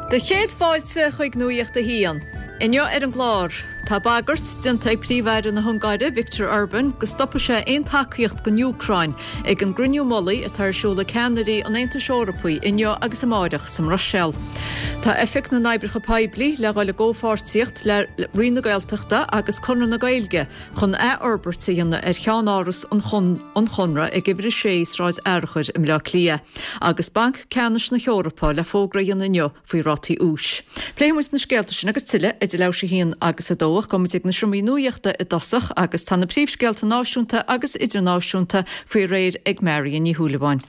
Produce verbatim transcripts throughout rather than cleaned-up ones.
Do chéad fáilte chuig Nuacht a hAon. Inniu ar an gclár, tá bagairt déanta ag Príomh-Aire na hUngáire Viktor Orbán go stopfaidh sé aon tacaíocht don Úcráin ag an gcruinniú mullaigh atá ar siúl ag ceannairí an Aontais Eorpaigh inniu agus amárach sa mBruiséil. Tá Oifig na nOibreacha Poiblí le dhul i gcomhpháirtíocht le Roinn na Gaeltachta agus Conradh na Gaeilge chun athfhorbairt a dhéanamh ar cheannáras an Chonradh ag uimhir a sé Sráid Fhearchair i mBleá Cliath, agus Banc Ceannais na hEorpa le fógra a dhéanamh inniu faoi rátaí úis. Pléifimid na scéalta sin agus tuilleadh idir leathuair tar éis a haon agus a dó ach gabhfaimid ag na seomraí nuachta i dtosach agus tá na príomhscéalta náisiúnta agus idirnáisiúnta faoi réir ag Marion Ní Shúilleabháin.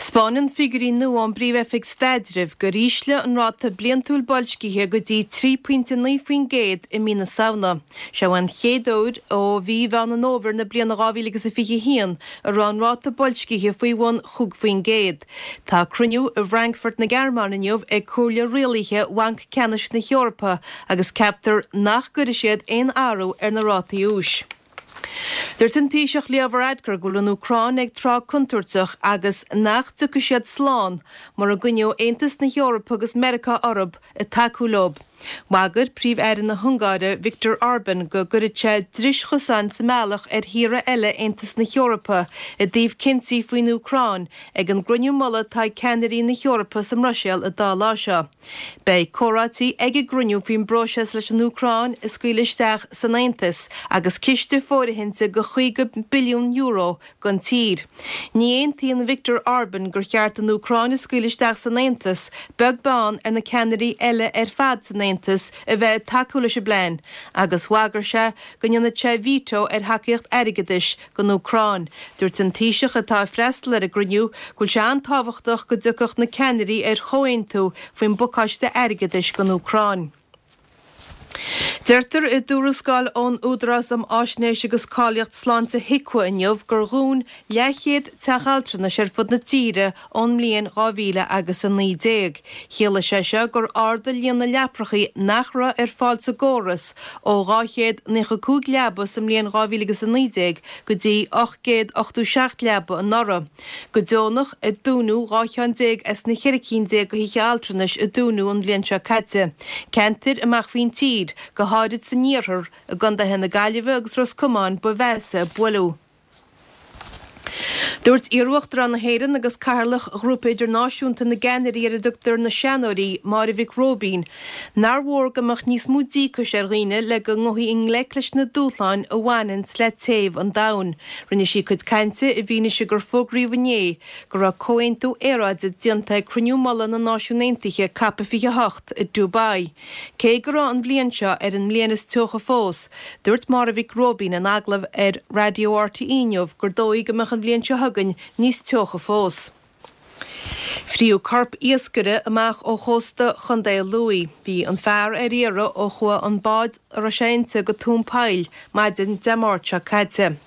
'Spáineann figiúirí nua ón bPríomh-Oifig Staidrimh gur ísle an ráta bliantúil boilscithe go dtí trí pointe naoi faoin gcéad i mí na Samhna. Seo an chéad uair ó mhí Mheán an Fhómhair na bliana dhá mhíle agus a fiche a haon a raibh an ráta boilscithe faoi bhun chúig faoin gcéad. Tá cruinniú i bhFrankfurt na Gearmáine inniu ag Comhairle Rialaithe Bhanc Ceannais na hEorpa agus ceaptar nach gcuirfidh siad aon athrú ar na rátaí úis. Dúirt an Taoiseach Leo Varadkar go bhfuil an Úcráin ag tráth contúirteach agus nach dtiocfaidh siad slán mura gcoinneoidh Aontas na hEorpa agus Meiriceá orthu ag tacú leo. Bhagair Príomh-Aire na hUngáire Viktor Orban go gcuirfeadh sé dris chosáin sa mbealach ar thíortha eile Aontas na hEorpa i dtaobh cinntí faoin Úcráin ag an gcruinniú mullaigh atá ag ceannairí na hEorpa sa mBruiséil an dá lá seo. Beidh comhráití ag an gcruinniú faoin bpróiseas leis an Úcráin a scaoileadh isteach san Aontas agus ciste fóirithinte de chaoga billiún euro don tír. Ní aontaíonn Viktor Orban gur cheart an Úcráin a scaoileadh isteach san Aontas, beag beann ar na ceannairí eile ar fad san Aontas a bheith ag tacú leis an bplean, agus bhagair sé go ndéanfadh sé veto ar thacaíocht airgeadais don Úcráin. Dúirt an Taoiseach, atá ag freastal ar an gcruinniú, go bhfuil sé an-tábhachtach go dtiocfadh na ceannairí ar chomhaontú faoin bpacáiste airgeadais don Úcráin. Deirtear i dtuarascáil ón Údarás um Fháisnéis agus Cáilíocht Sláinte HIQA inniu gur dhún leathchéad teach altranais ar fud na tíre ón mbliain dhá mhíle agus a naoi déag. Chiallaigh sé seo gur ardaigh líon na leaprachaí nach raibh ar fáil sa gcóras ó dhá chéad naocha cúig leaba sa mbliain dhá mhíle agus a naoi déag go dtí ocht gcéad ochtó seacht leaba anuraidh. Go deonach a dúnadh dhá cheann déag as na ceithre cinn déag de thithe altranais a dúnadh an bhliain seo caite. Ceantair amach faoin tír, go háirid san iarthar, i gcontaetha na Gaillimhe agus Ros Comáin ba mheasa a buaileadh. Dúirt iarUachtarán na hÉireann agus Cathaoirleach Ghrúpa Idirnáisiúnta na gCeannairí ar a dtugtar na Seanóirí, Máire Mhic Róibín, nár mhór go mbeadh níos mó díocais ar dhaoine le go ngabhfaí i ngleic leis na dúshláin a bhaineann le téamh an domhain. Rinne sí a cuid cainte i bhfianaise gur fógraíodh inné go raibh comhaontú aeráide déanta ag Cruinniú Mullaigh na Náisiún Aontaithe, Cop fiche a hocht, i Dubai. Cé go raibh an bhliain seo ar an mbliain is teocha fós, dúirt Máire Mhic Róibín in agallamh ar Raidió RTÉ inniu gur dóigh go mbeadh an bhliain seo chugainn níos teocha fós. Fríodh corp iascaire amach ó chósta Chontae Lú. Bhí an fear ar iarraidh ó chuaigh an bád a raibh sé inti go tóin poill maidin Dé Máirt seo caite.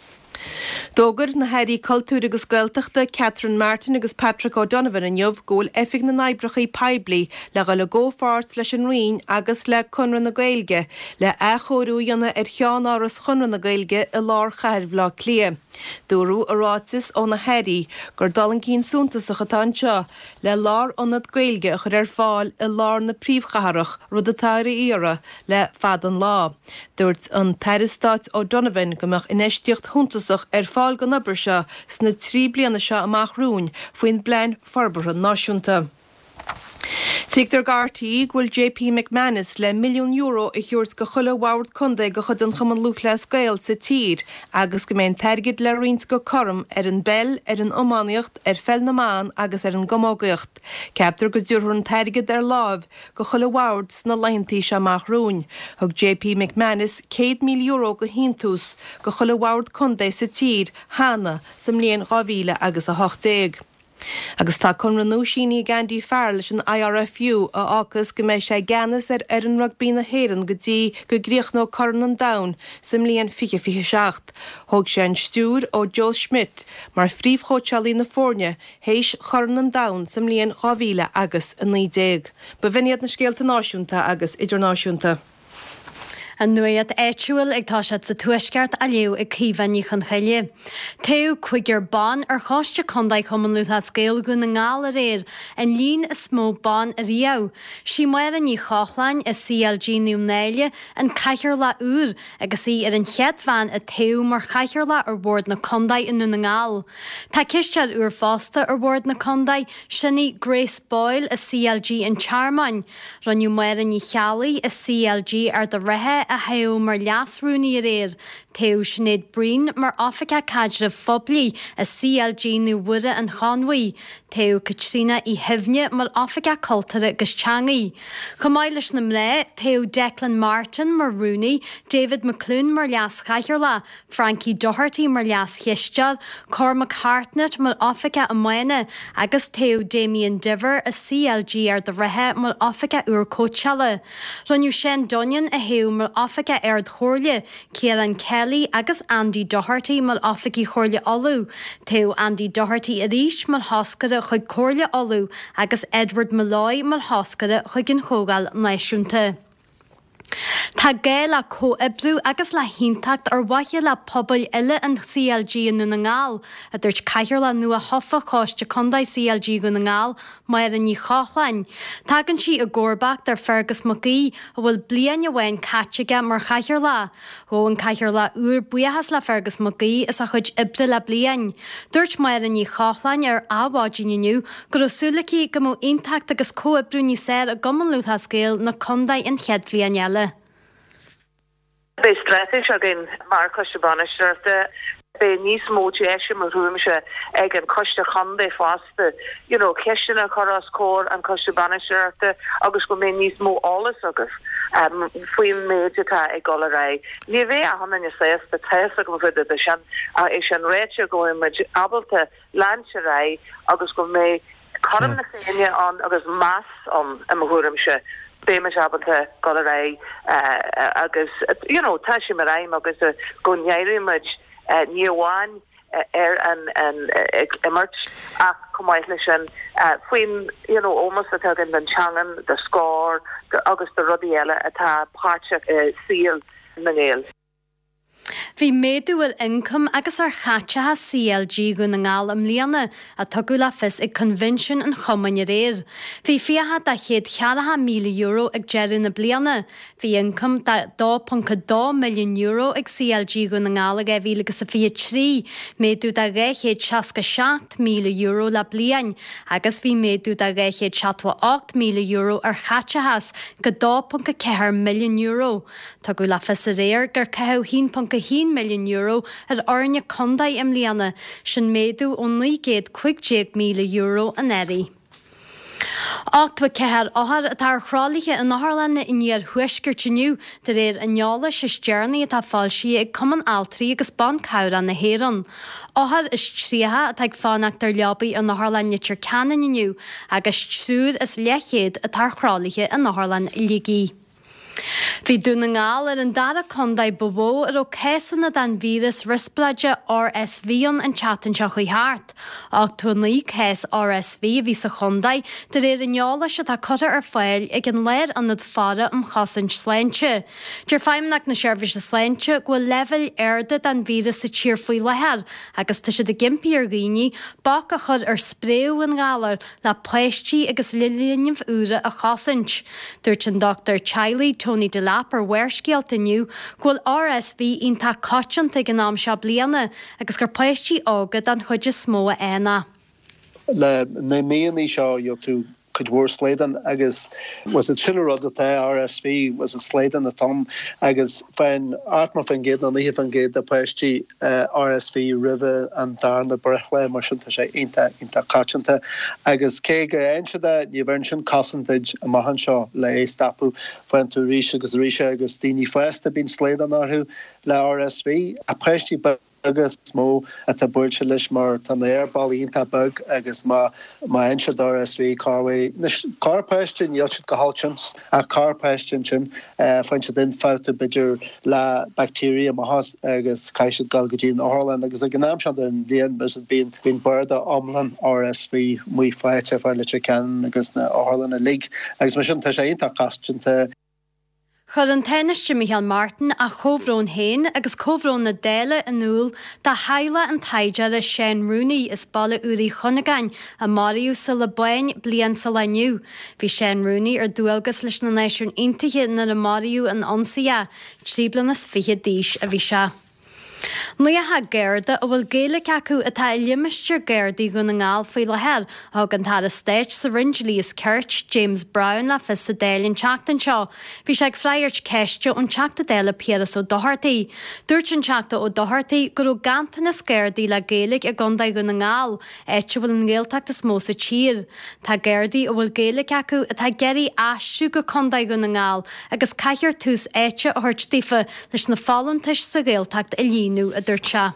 D'fhógair na hAirí Cultúir agus Gaeltachta Catherine Martin agus Patrick O'Donovan inniu go bhfuil Oifig na nOibreacha Poiblí le dhul i gcomhpháirt leis an Roinn agus le Conradh na Gaeilge le athchóiriú a dhéanamh ar cheannáras Chonradh na Gaeilge i lár chathair Bhaile Átha Cliath. Dúradh i ráiteas ó na hairí gur dul chun cinn suntasach atá anseo le lárionad Gaeilge a chur ar fáil i lár na príomhchathrach, rud atá ar iarraidh le fada an lá. Dúirt an tAire Stáit O'Donovan go mbeadh infheistíocht shuntasach ar fáil don obair seo sna trí bliana seo amach romhainn faoin bPlean Forbartha Náisiúnta. Tuigtear do RTÉ go bhfuil JP McManus le milliún euro a thabhairt go chuile bhord contae de chuid an Chumann Lúthchleas Gael sa tír agus go mbeidh an t-airgead le roinnt go cothrom ar an bpeil, ar an iománaíocht, ar pheil na mban agus ar an gcamógaíocht. Ceaptar go dtabharfar an t-airgead ar láimh go chuile bhord sna laethantaí seo amach romhainn. Thug JP McManus céad míle euro de shíntiús go chuile bhord contae sa tír cheana sa mbliain dhá mhíle agus a hocht déag. Agus tá conradh nua sínithe ag Andy Farrell leis an IRFU a fhágfas go mbeidh sé i gceannas ar fhoireann rugbaí na hÉireann go dtí go gcríochnóidh Corn an Domhain sa mbliain fiche fiche seacht. Thóg sé an stiúir ó Joe Schmidt mar phríomhchóitseálaí na foirne théis Chorn an Domhain sa mbliain dhá mhíle agus a naoi déag. B'in iad na scéalta náisiúnta agus idirnáisiúnta. An nuacht áitiúil ag toiseacht sa Tuaisceart á léamh ag Caoimhe Ní Chonchoille. Toghadh cúigear ban ar Choiste Contae Chumann Lúthchleas Gael Dhún na nGall aréir, an líon is mó ban ariamh. Sí Máire Ní Chochláin i CLG Naomh Náille an cathaoirleach úr agus í ar an chéad bhean a toghadh mar chathaoirleach ar bhord na contae i nDún na nGall. Tá cisteoir úr fosta ar bhord na contae, sin í Grace Boyle i CLG an Tearmainn. Rinneadh Máire Ní Cheallaigh i CLG Ard an Rátha a thoghadh mar leas-rúnaí aréir. Toghadh Sinéad Breen mar Oifigeach Caidrimh Phoiblí i CLG Naomh Mhuire an Chonmhaigh. Toghadh Caitríona Uí Shuibhne mar Oifigeach Cultúrtha agus Teangaí. Chomh maith leis na mná, toghadh Declan Martin mar rúnaí, David McClune mar leas-chathaoirleach, Frankie Doherty mar leas-chisteoir, Cormac Hartnett mar Oifigeach Iomána agus toghadh Damien Diver i CLG Ard an Rátha mar Oifigeach úr Cóitseála. Rinneadh Seán Dunnion a thoghadh mar Oifigeach Ard-Chomhairle, Ciarán Kelly agus Andy Doherty mar Oifigigh Chomhairle Uladh. Toghadh Andy Doherty arís mar thoscaire chuig Comhairle Uladh agus Edward Molloy mar thoscaire chuig an Chomhdháil Náisiúnta. Tá gá le comhoibriú agus le haontacht ar mhaithe le pobail uile an CLG i nDún na nGall, a dúirt Cathaoirleach nua-thofa Choiste Contae CLG Dhún na nGall, Máire Ní Chochláin. Tagann sí i gcomharbacht ar Fergus Mac Aoidh, a bhfuil bliain amháin caite aige mar chathaoirleach. Ghabh an cathaoirleach úr buíochas le Fergus Mac Aoidh as a chuid oibre le bliain. Dúirt Máire Ní Chochláin ar Adhmhaidin inniu go raibh súil aici go mbeadh aontacht agus comhoibriú níos fearr i gCumann Lúthchleas Gael na contae an chéad bhliain eile. Beidh straitéis againn mar Choiste Bainistíochta. Beidh níos mó deise mo thuairimse ag an Choiste Chontae fosta, you know, ceisteanna a chur os comhair an Choiste Bainistíochta agus go mbeidh níos mó eolas agaibh um, faoin méid atá ag dul ar aghaidh. Ní bheidh achan duine sásta tá a fhios agam faoi de sin é sin ráite go bhfuil muid ábalta leanúint ar aghaidh agus go mbeidh cothrom na Féinne ann agus meas ann i mo thuairimse. Beidh ábalta dul ar aghaidh agus you know, tá sé mar aidhm agus go n-éireoidh muid ní amháin ar an an ag imirt ach chomh maith leis sin faoin you know, ómós atá againn don teanga, do Scór agus do rudaí eile atá páirteach i saol na nGael. Bhí méadú ar ioncam agus ar chaiteachas CLG Dhún na nGall i mbliana a tugadh le fios ag Coinbhinsiún an Chumainn aréir. Bhí fiacha de chéad ceathracha míle euro ag deireadh na bliana. Bhí ioncam de dó ponc dó milliún euro ag CLG Dhún na nGall i dhá mhíle agus a fiche trí, méadú de dhá chéad seasca seacht míle euro le bliain, agus bhí méadú de dhá chéad seachtó a ocht míle euro ar chaiteachas go dó ponc a ceathair milliún euro. Tugadh le fios aréir gur caitheadh haon ponc a haon milliún euro ar fhoirne contae i mbliana, sin méadú ó naoi gcéad cúig déag míle euro anuraidh. Ochtó a ceathair othar atá ar thralaithe in otharlanna an iarthuaiscirt inniu, de réir an eolais is deireanaí atá foilsithe ag Cumann Altraí agus Ban Cabhrach na hÉireann. Othar is tríocha atá ag fanacht ar leabaí in Otharlann Leitir Ceanainn inniu agus triúr is leathchéad atá ar thralaithe in Otharlann Shligigh. Bhí Dún na nGall ar an dara contae ba mhó a raibh cásanna den víreas riospráide RSV ann an tseachtain seo chuaigh thart. Ochtó a naoi cás RSV a bhí sa chontae, de réir an eolais atá curtha ar fáil ag an Lárionad Faire um Chosaint Sláinte. Deir Feidhmeannacht na Seirbhíse Sláinte go bhfuil leibhéil arda den víreas sa tír faoi láthair agus tá siad ag impí ar dhaoine bac a chur ar spréadh an ghalair le páistí agus le linbh úra a chosaint. Dúirt an dochtúir teaghlaigh Tony Delap ar Bharrscéalta inniu go bhfuil RSV iontach coitianta ag an am seo bliana agus gur páistí óga den chuid is mó a fhaigheann é. Le na míonna seo gheobhaidh tú cuid mhór slaghdán agus was it sin an rud atá RSV was it slaghdán atá ann agus faigheann ochtó faoin gcéad nó naocha faoin gcéad de páistí RSV roimhe an darna breithlá mar sin tá sé iontach iontach coitianta agus cé go bhfaigheann siad é ní bheireann sin cosaint duit amach anseo le é stopadh faigheann tú arís agus arís é agus daoine fásta bíonn slaghdán orthu le RSV ach páistí beaga is mó atá buailte leis mar tá na haerbealaí iontach beag agus má má fhaigheann siad RSV corruair anois corrpháiste níl siad go holc tinn ach corrpháiste ansin faigheann siad ionfhabhtú b'fhéidir le bacteria amach as agus caithfidh siad dul go dtí an otharlann agus ag an am seo den bhliain bíonn bíonn barda iomlán RSV amuigh faighte fá Leitir Ceanainn agus na otharlanna uilig agus mar sin tá sé iontach cosanta. Chuir an Tánaiste Micheál Martin a chomhbhrón féin agus comhbhrón na Dála in iúl do theaghlach an taighdeora Seán Rooney as Baile Úr Uí Chuinneagáin a maraíodh sa Liobáin bliain sa lá inniu. Bhí Seán Rooney ar dualgas leis na Náisiúin Aontaithe nuair a maraíodh in ionsaí é. Trí bliana is fiche d'aois a bhí sé. Naocha Garda a bhfuil Gaeilge acu atá i limistéar Gardaí Dhún na nGall faoi láthair, a thug an tAire Stáit sa Roinn Dlí is Cirt, James Browne le fios sa Dáil an tseachtain seo. Bhí sé ag freagairt ceiste ón Teachta Dála Piaras Ó Dochartaigh. Dúirt an Teachta Ó Dochartaigh go raibh ganntanas Gardaí le Gaeilge i gContae Dhún na nGall, áit a bhfuil an Ghaeltacht is mó sa tír. Tá Gardaí a bhfuil Gaeilge acu atá ag iarraidh aistriú go Contae Dhún na nGall agus caithfear tús áite a thabhairt daofa leis na folúntais sa Ghaeltacht a líonadh, a dúirt sé.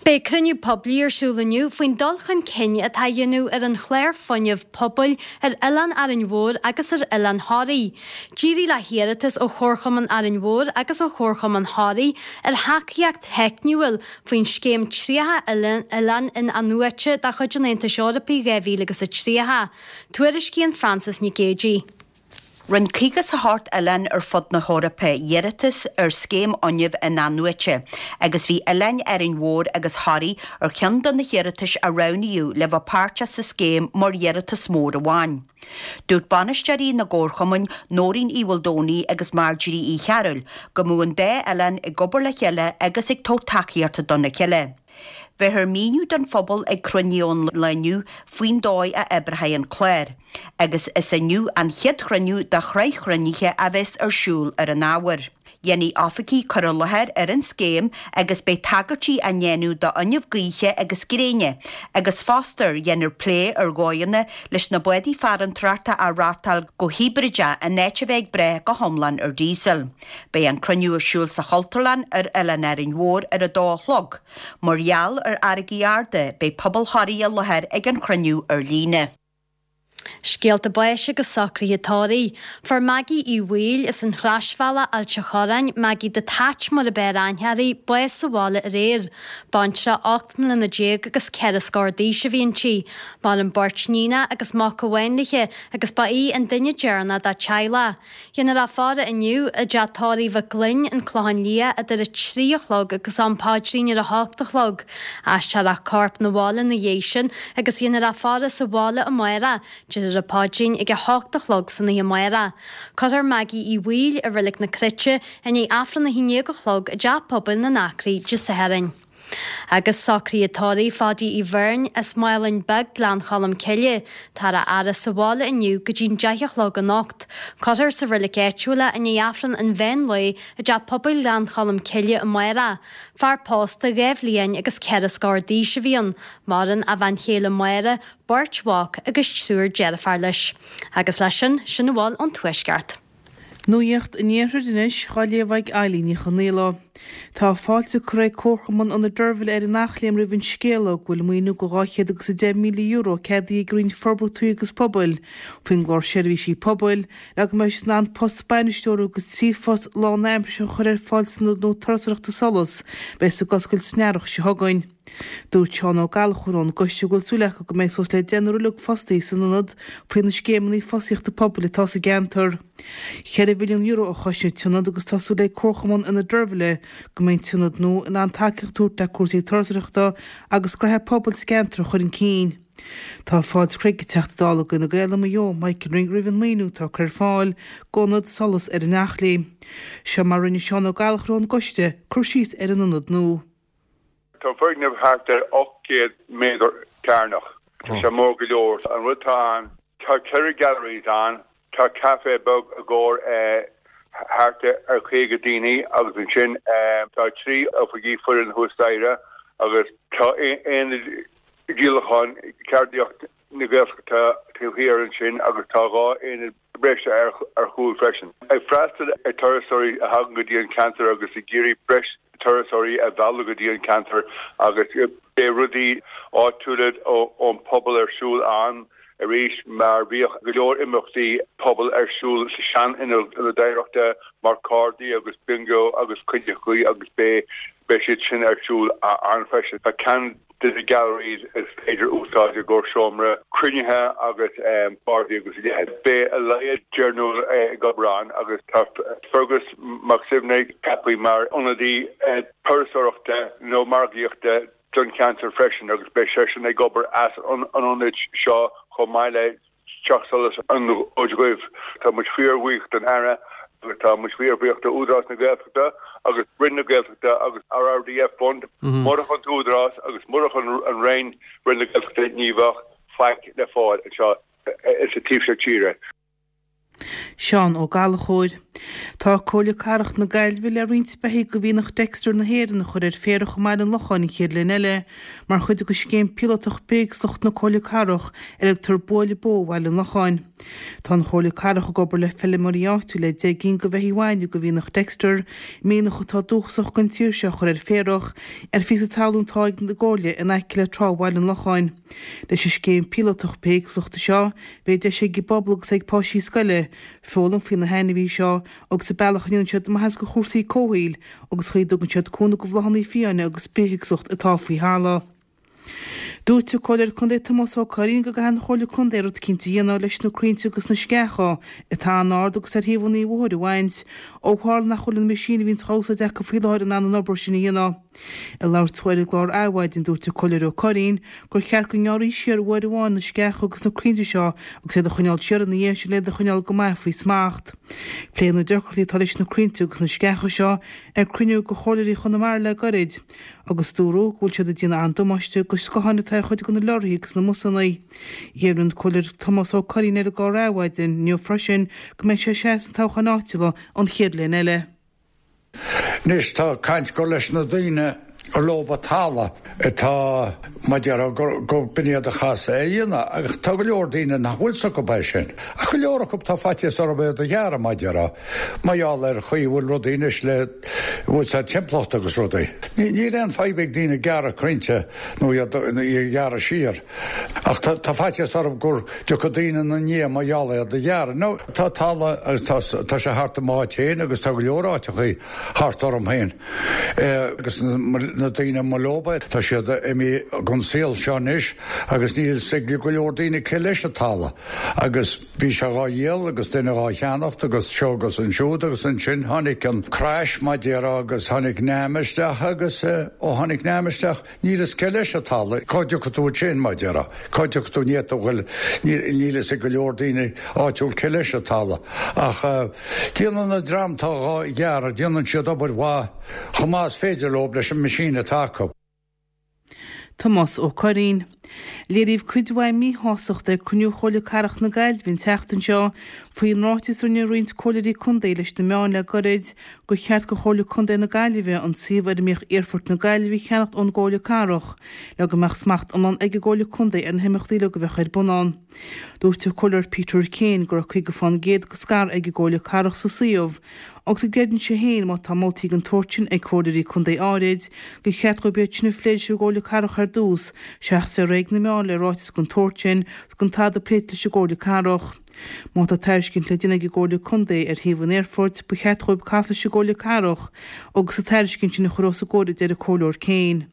Beidh cruinniú poiblí ar siúl inniu faoin dul chun cinn atá á dhéanamh ar an chlár fuinnimh pobail ar Oileán Árainn Mhór agus ar Oileán Thoraí. D'éirigh le hiarratas ó Chomharchumann Árainn Mhór agus ó Chomharchumann Thoraí ar thacaíocht theicniúil faoin scéim tríocha Oileán In-athnuaite de chuid an Aontais Eorpaigh dhá mhíle agus a tríocha. Tuairiscíonn Frances Nic Géadaigh. Rinne caoga is a hocht oileán ar fud na hEorpa iarratas ar scéim fhuinnimh in-athnuaite agus bhí oileáin Árainn Mhór agus Thoraí ar cheann de na hiarratais a roghnaíodh le bheith páirteach sa scéim mar iarratas mór amháin. Dúirt bainisteoirí na gcomharchumann Nóirín Uí Mhaoldomhnaigh agus Marjorie Uí Chearúil go mbeadh an dá oileán ag obair le chéile agus ag tabhairt tacaíochta dona chéile. Bheifear míniú don phobal ag cruinniú an lae inniu faoin dóigh a oibreoidh an clár, agus is inniu an chéad chruinniú de shraith chruinnithe a bheas ar siúl ar an ábhar. Dhéanfaidh oifigigh cur i láthair ar an scéim agus beidh tagairtí á ndéanamh d'fhuinneamh gaoithe agus gréine, agus fosta dhéanfar plé ar dhóigheanna leis na bádaí farantóireachta a reáchtáil go hibrideach in áit a bheith ag brath go hiomlán ar diesel. Beidh an cruinniú ar siúl sa Chultúrlann ar Oileán Árainn Mhór ar a dó a chlog. Mar gheall ar fharraigí arda, beidh pobal Thoraí i láthair ag an chruinniú ar líne. Scéalta báis agus socruithe tórraimh. Fuair Maggie Uí Bhaoill as an Chroisbhealach, Ailt a' Chorráin, Maggie the Tatch mar ab fhearr aithne uirthi, bás sa bhaile aréir. Baintreach ocht mbliana déag agus ceithre scór d'aois a bhí inti. Maireann beirt níonach agus mac amháin léi agus ba í an duine deireanach dá teaghlach. Dhéanfar a faire inniu i dteach tórraimh Mhic Gloinn, An Clochán Liath, idir a trí a chlog agus am paidrín ar a hocht a chlog. Aistreofar a corp 'na bhaile ina dhiaidh sin agus dhéanfar a faire sa bhaile amárach, déarfar an paidrín ag a hocht a chlog san oíche amárach. Cuirfear Maggie Uí Bhaoill i Reilig na Cruite i ndiaidh Aifreann a haon déag a chlog i dTeach Pobail na nAcraí Dé Sathairn. Agus socruithe tórraimh Pháidí Uí Bheirn as Málainn Beag, Gleann Cholm Cille. Táthar á fhaire sa bhaile inniu go dtí'n deich a chlog anocht. Cuirfear sa reilig áitiúil é i ndiaidh Aifreann an mheán lae i dTeach Pobail Ghleann Cholm Cille amárach. Fear pósta dhá bhliain agus ceithre scór d'aois a bhí ann. Maireann a bhean chéile Máire, beirt mhac agus triúr deirféar leis. Agus leis sin, sin a bhfuil ón Tuaisceart. Nuacht an Iarthair anois dhá léamh ag Eilín Ní Chonaola. Tá fáilte curtha ag Comharchumann Ionad Deirbhile ar an Eachléim roimh an scéala go bhfuil maoiniú de dhá chéad agus a deich míle euro ceadaithe ag Roinn Forbartha Tuaithe agus Pobail faoin gclár Seirbhísí Pobail le go mbeidh siad in ann post bainisteora agus trí phost lánaimseartha a chur ar fáil san ionad nua turasóireachta Solas a bheas ag oscailt san earrach seo chugainn. Dúirt Seán Ó Gallchóir ón gcoiste go bhfuil súil acu go mbeidh suas le deichniúr uilig fostaithe san ionad faoi na scéimeanna fostaíochta pobail atá sa gceantar. Ceithre mhilliún euro a choisnigh an t-ionad agus tá súil ag Comharchumann Ionad Deirbhile go mbeidh an t-ionad nua in ann tacaíocht a thabhairt le cúrsaí turasóireachta agus gnoithe pobail sa gceantar a chur chun cinn. Tá fáilte curtha ag an Teachta Dála d'Fhine Gael i Maigh Eo, Michael Ring roimh an maoiniú atá curtha ar fáil d'Ionad Solas ar an Eachléim. Seo mar a rinne Seán Ó Gallchóir ón gcoiste cur síos ar an ionad nua. Tá an foirgneamh thart ar ocht gcéad méadar cearnach. Tá sé mór go leor. An rud atá ann, tá ceithre galleries ann, tá café beag i gcomhair thart ar caoga daoine agus ansin tá trí oifigí foireann thuas staighre agus tá aonad díolacháin ceardaíocht na Gaeltachta taobh thiar ansin agus tá dhá aonad breise ar chúl freisin. Ag freastal ar turasóirí a thagann go dtí an ceantar agus ag iarraidh breis turasóirí a mhealladh go dtí an ceantar agus beidh rudaí áitiúla ón pobal ar siúl ann arís mar bhíodh go leor imeachtaí pobail ar siúl sa sean-ionad oidhreachta mar cárdaí agus bingo agus cuideachtaí agus beidh Beidh siad sin ar siúl ann freisin. Tá ceann de na galleries is féidir úsáid i gcomhair seomra cruinnithe agus páirtí agus a leithéid. Beidh a laghad deichniúr ag obair ann agus tá Fergus Mac Suibhne ceaptha mar ionadaí turasóireachta nó margaíochta don cheantar freisin agus beidh seisean ag obair as an ionad seo chomh maith le Teach Solais an Fhóid Dhuibh. Tá muid fíorbhuíoch don Aire agus tá muid fíorbhuíoch do Údarás na Gaeltachta agus Roinn na Gaeltachta agus RRDF Fund. Murach an tÚdarás agus murach an Roinn, Roinn na Gaeltachta, ní bheadh faic le fáil anseo sa taobh seo tíre. Seán Ó Gallchóir. Tá Comhairle Cathrach na Gaillimhe le roinnt beithígh de mhianach Dexter na hÉireann a chur ar féarach i mBaile an Locháin an chéad bhliain eile mar chuid de scéim píolótach bithéagsúlachta na Comhairle Cathrach ar a dtugtar Buaile Bó Bhaile an Locháin. Tá an Chomhairle Cathrach ag obair le feilméaraí áitiúla le deich gcinn de bheithígh bhainne de mhianach Dexter, mianach atá dúchasach don tír seo a chur ar féarach ar phíosa talún atá ag an gComhairle in aice le trá Bhaile an Locháin. Leis an scéim píolótach bithéagsúlachta seo, beidh deis ag an bpobal agus ag páistí scoile foghlaim faoi na hainmhithe seo agus an bealach a ndéanann siad maitheas do chúrsaí comhshaoil agus chaoi a dtugann siad cúnamh do bhláthanna fiáine agus bithéagsúlacht atá faoi thalamh. Dúirt an Comhairleoir Contae Tomás Ó Curraoin go gcaithfidh an Chomhairle Contae rud eicínt a dhéanamh leis na crainnte agus na sceacha atá an-ard agus ar thaobhanna an bhóthair a bhaint, ó tharla nach bhfuil an meaisín a bhíonns á úsáid acu faoi láthair in ann an obair sin a dhéanamh. Ag labhairt dó ar an gclár Adhmhaidin, dúirt an Comhairleoir Ó Curraoin gur cheart go ngearrfaí siar uair amháin na sceacha agus na crainnte seo agus iad a choinneáil siar ina dhiaidh sin le iad a choinneáil go maith faoi smacht. Pléadh na deacrachtaí atá leis na crainnte agus na sceacha seo ar cruinniú de Chomhairleoirí Chonamara le gairid agus dúradh go bhfuil siad ag déanamh an-damáiste do scátháin atá ar chuid de na leoraithe agus na mbusanna. Dheimhnigh an Comhairleoir Tomás Ó Curraoin ar an gclár Adhmhaidin inniu freisin go mbeidh sé ag seasamh sna toghcháin áitiúla an chéad bhliain eile. Anois tá caint gur leis na daoine gur leob an talamh atá, mar déarfá, gur b'in iad a chas é a dhéanamh agus tá go leor daoine nach bhfuil 's acu é sin. Ach go leor acu tá faitíos orthu iad a ghearradh, mar déarfá, mar gheall ar chaoi a bhfuil rudaí anois le, bhfuil sa timpeallacht agus rudaí. Níl aon fadhb ag daoine gearradh crainnte nó iad a ghearradh siar ach tá faitíos orthu gur dtiocfaidh daoine ina ndiaidh mar gheall iad a ghearradh. Now tá talamh agus tá tá sé thart i m'áit féin agus tá go leor áiteachaí thart orm féin agus na daoine mba leob é tá siad imithe gon saol seo anois agus níl 's ag go leor daoine cé leis an talamh agus bhí sé dhá dhíol agus duine dhá cheannacht agus seo agus ansiúd agus ansin tháinig an crash mar déarfá agus tháinig NAMA isteach agus ó tháinig NAMA isteach Níl fhios cé leis an talamh, cá dtiocfaidh tú ansin, mar déarfá, cá dtiocfaidh tú, ní fhéadfadh bhuel, níl fhios ag go leor daoine áitiúil cé leis an talamh. Ach déanann an dream atá dhá ghearradh, déanann siad obair mhaith chomh maith is féidir leo leis an machine atá acu. Tomás Ó Curraoin. Léiríodh cuid mhaith míshástachta ag cruinniú Chomhairle Cathrach na Gaillimhe an tseachtain seo faoin ráiteas a rinne roinnt comhairleoirí contae leis na meáin le gairid gur cheart do Chomhairle Contae na Gaillimhe an suíomh ar a mbíodh Aerfort na Gaillimhe a cheannacht ón gComhairle Cathrach le go mbeadh smacht iomlán ag an gComhairle Contae ar na himeachtaí uilig a bheadh ar bun ann. Dúirt an Comhairleoir Peter Kane go raibh caoga fán gcéad de scair ag an gComhairle Cathrach sa suíomh agus go gcreideann sé féin má tá moltaí den tsórt sin ag comhairleoirí contae áirid gur cheart dóibh iad sin a phlé leis an gComhairle Cathrach ar dtús seachas bheith réidh ag na meáin le ráiteas den tsórt sin 's gan tada pléite leis an gComhairle Cathrach. Má tá tairiscint le déanamh ag an gComhairle Contae ar shuíomh an aerfoirt, ba cheart dhóibh casadh leis an gComhairle Cathrach agus an tairiscint sin a chur os a gcomhair a deir an Comhairleoir Kane.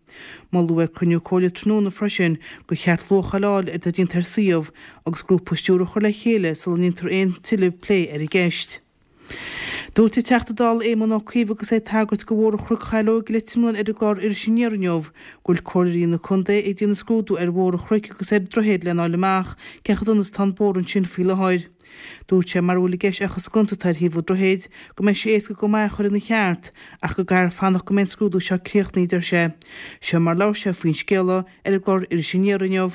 Moladh ag cruinniú Comhairle tráthnóna freisin gur cheart luacháil a fháil ar atá déanta ar suíomh agus grúpa stiúrtha a chur le chéile sula ndéantar aon tuilleadh plé ar an gceist. Dúirt an Teachta Dála Éamon Ó Cuív agus é ag tagairt do Bhóthar Chnoc Shaileog i Leitir Mealláin ar an gclár Iris Aniar inniu go bhfuil comhairleoirí na contae ag déanamh scrúdú ar Bhóthar an Chnoic agus ar an droichead lena fháil amach cé chomh dona is atá an bóthar ansin faoi láthair. Dúirt sé mara bhfuil i gceist ach an sconsa atá ar thaobh an droichid go mbeidh sé éasca go maith a chur ina cheart ach go gcaithfear fanacht go mbeidh an scrúdú seo críochnaithe, deir sé. Seo mar labhair sé faoin scéala ar an gclár Iris Aniar inniu.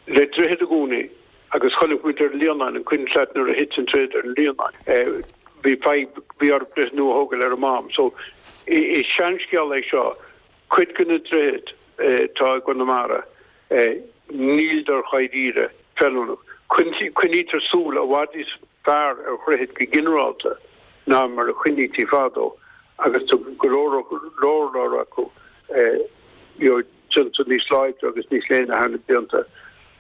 Le droichead i gcónaí agus chonaic muid ar an Líonán, an cuimhin leat nuair a thit an droichead ar an Líonán, bhí fadhb, bhí orthu droichead nua a thógáil ar an mám. So is seanscéal é seo, cuid de na droichid atá i gConamara, níldar dháiríre feiliúnach. Coinnítear súil i bhfad níos fearr ar dhroichid go ginearálta ná mar a choinnítí fadó agus tá go leor leor leor acu you know, déanta níos láidre agus níos léine thar na blianta.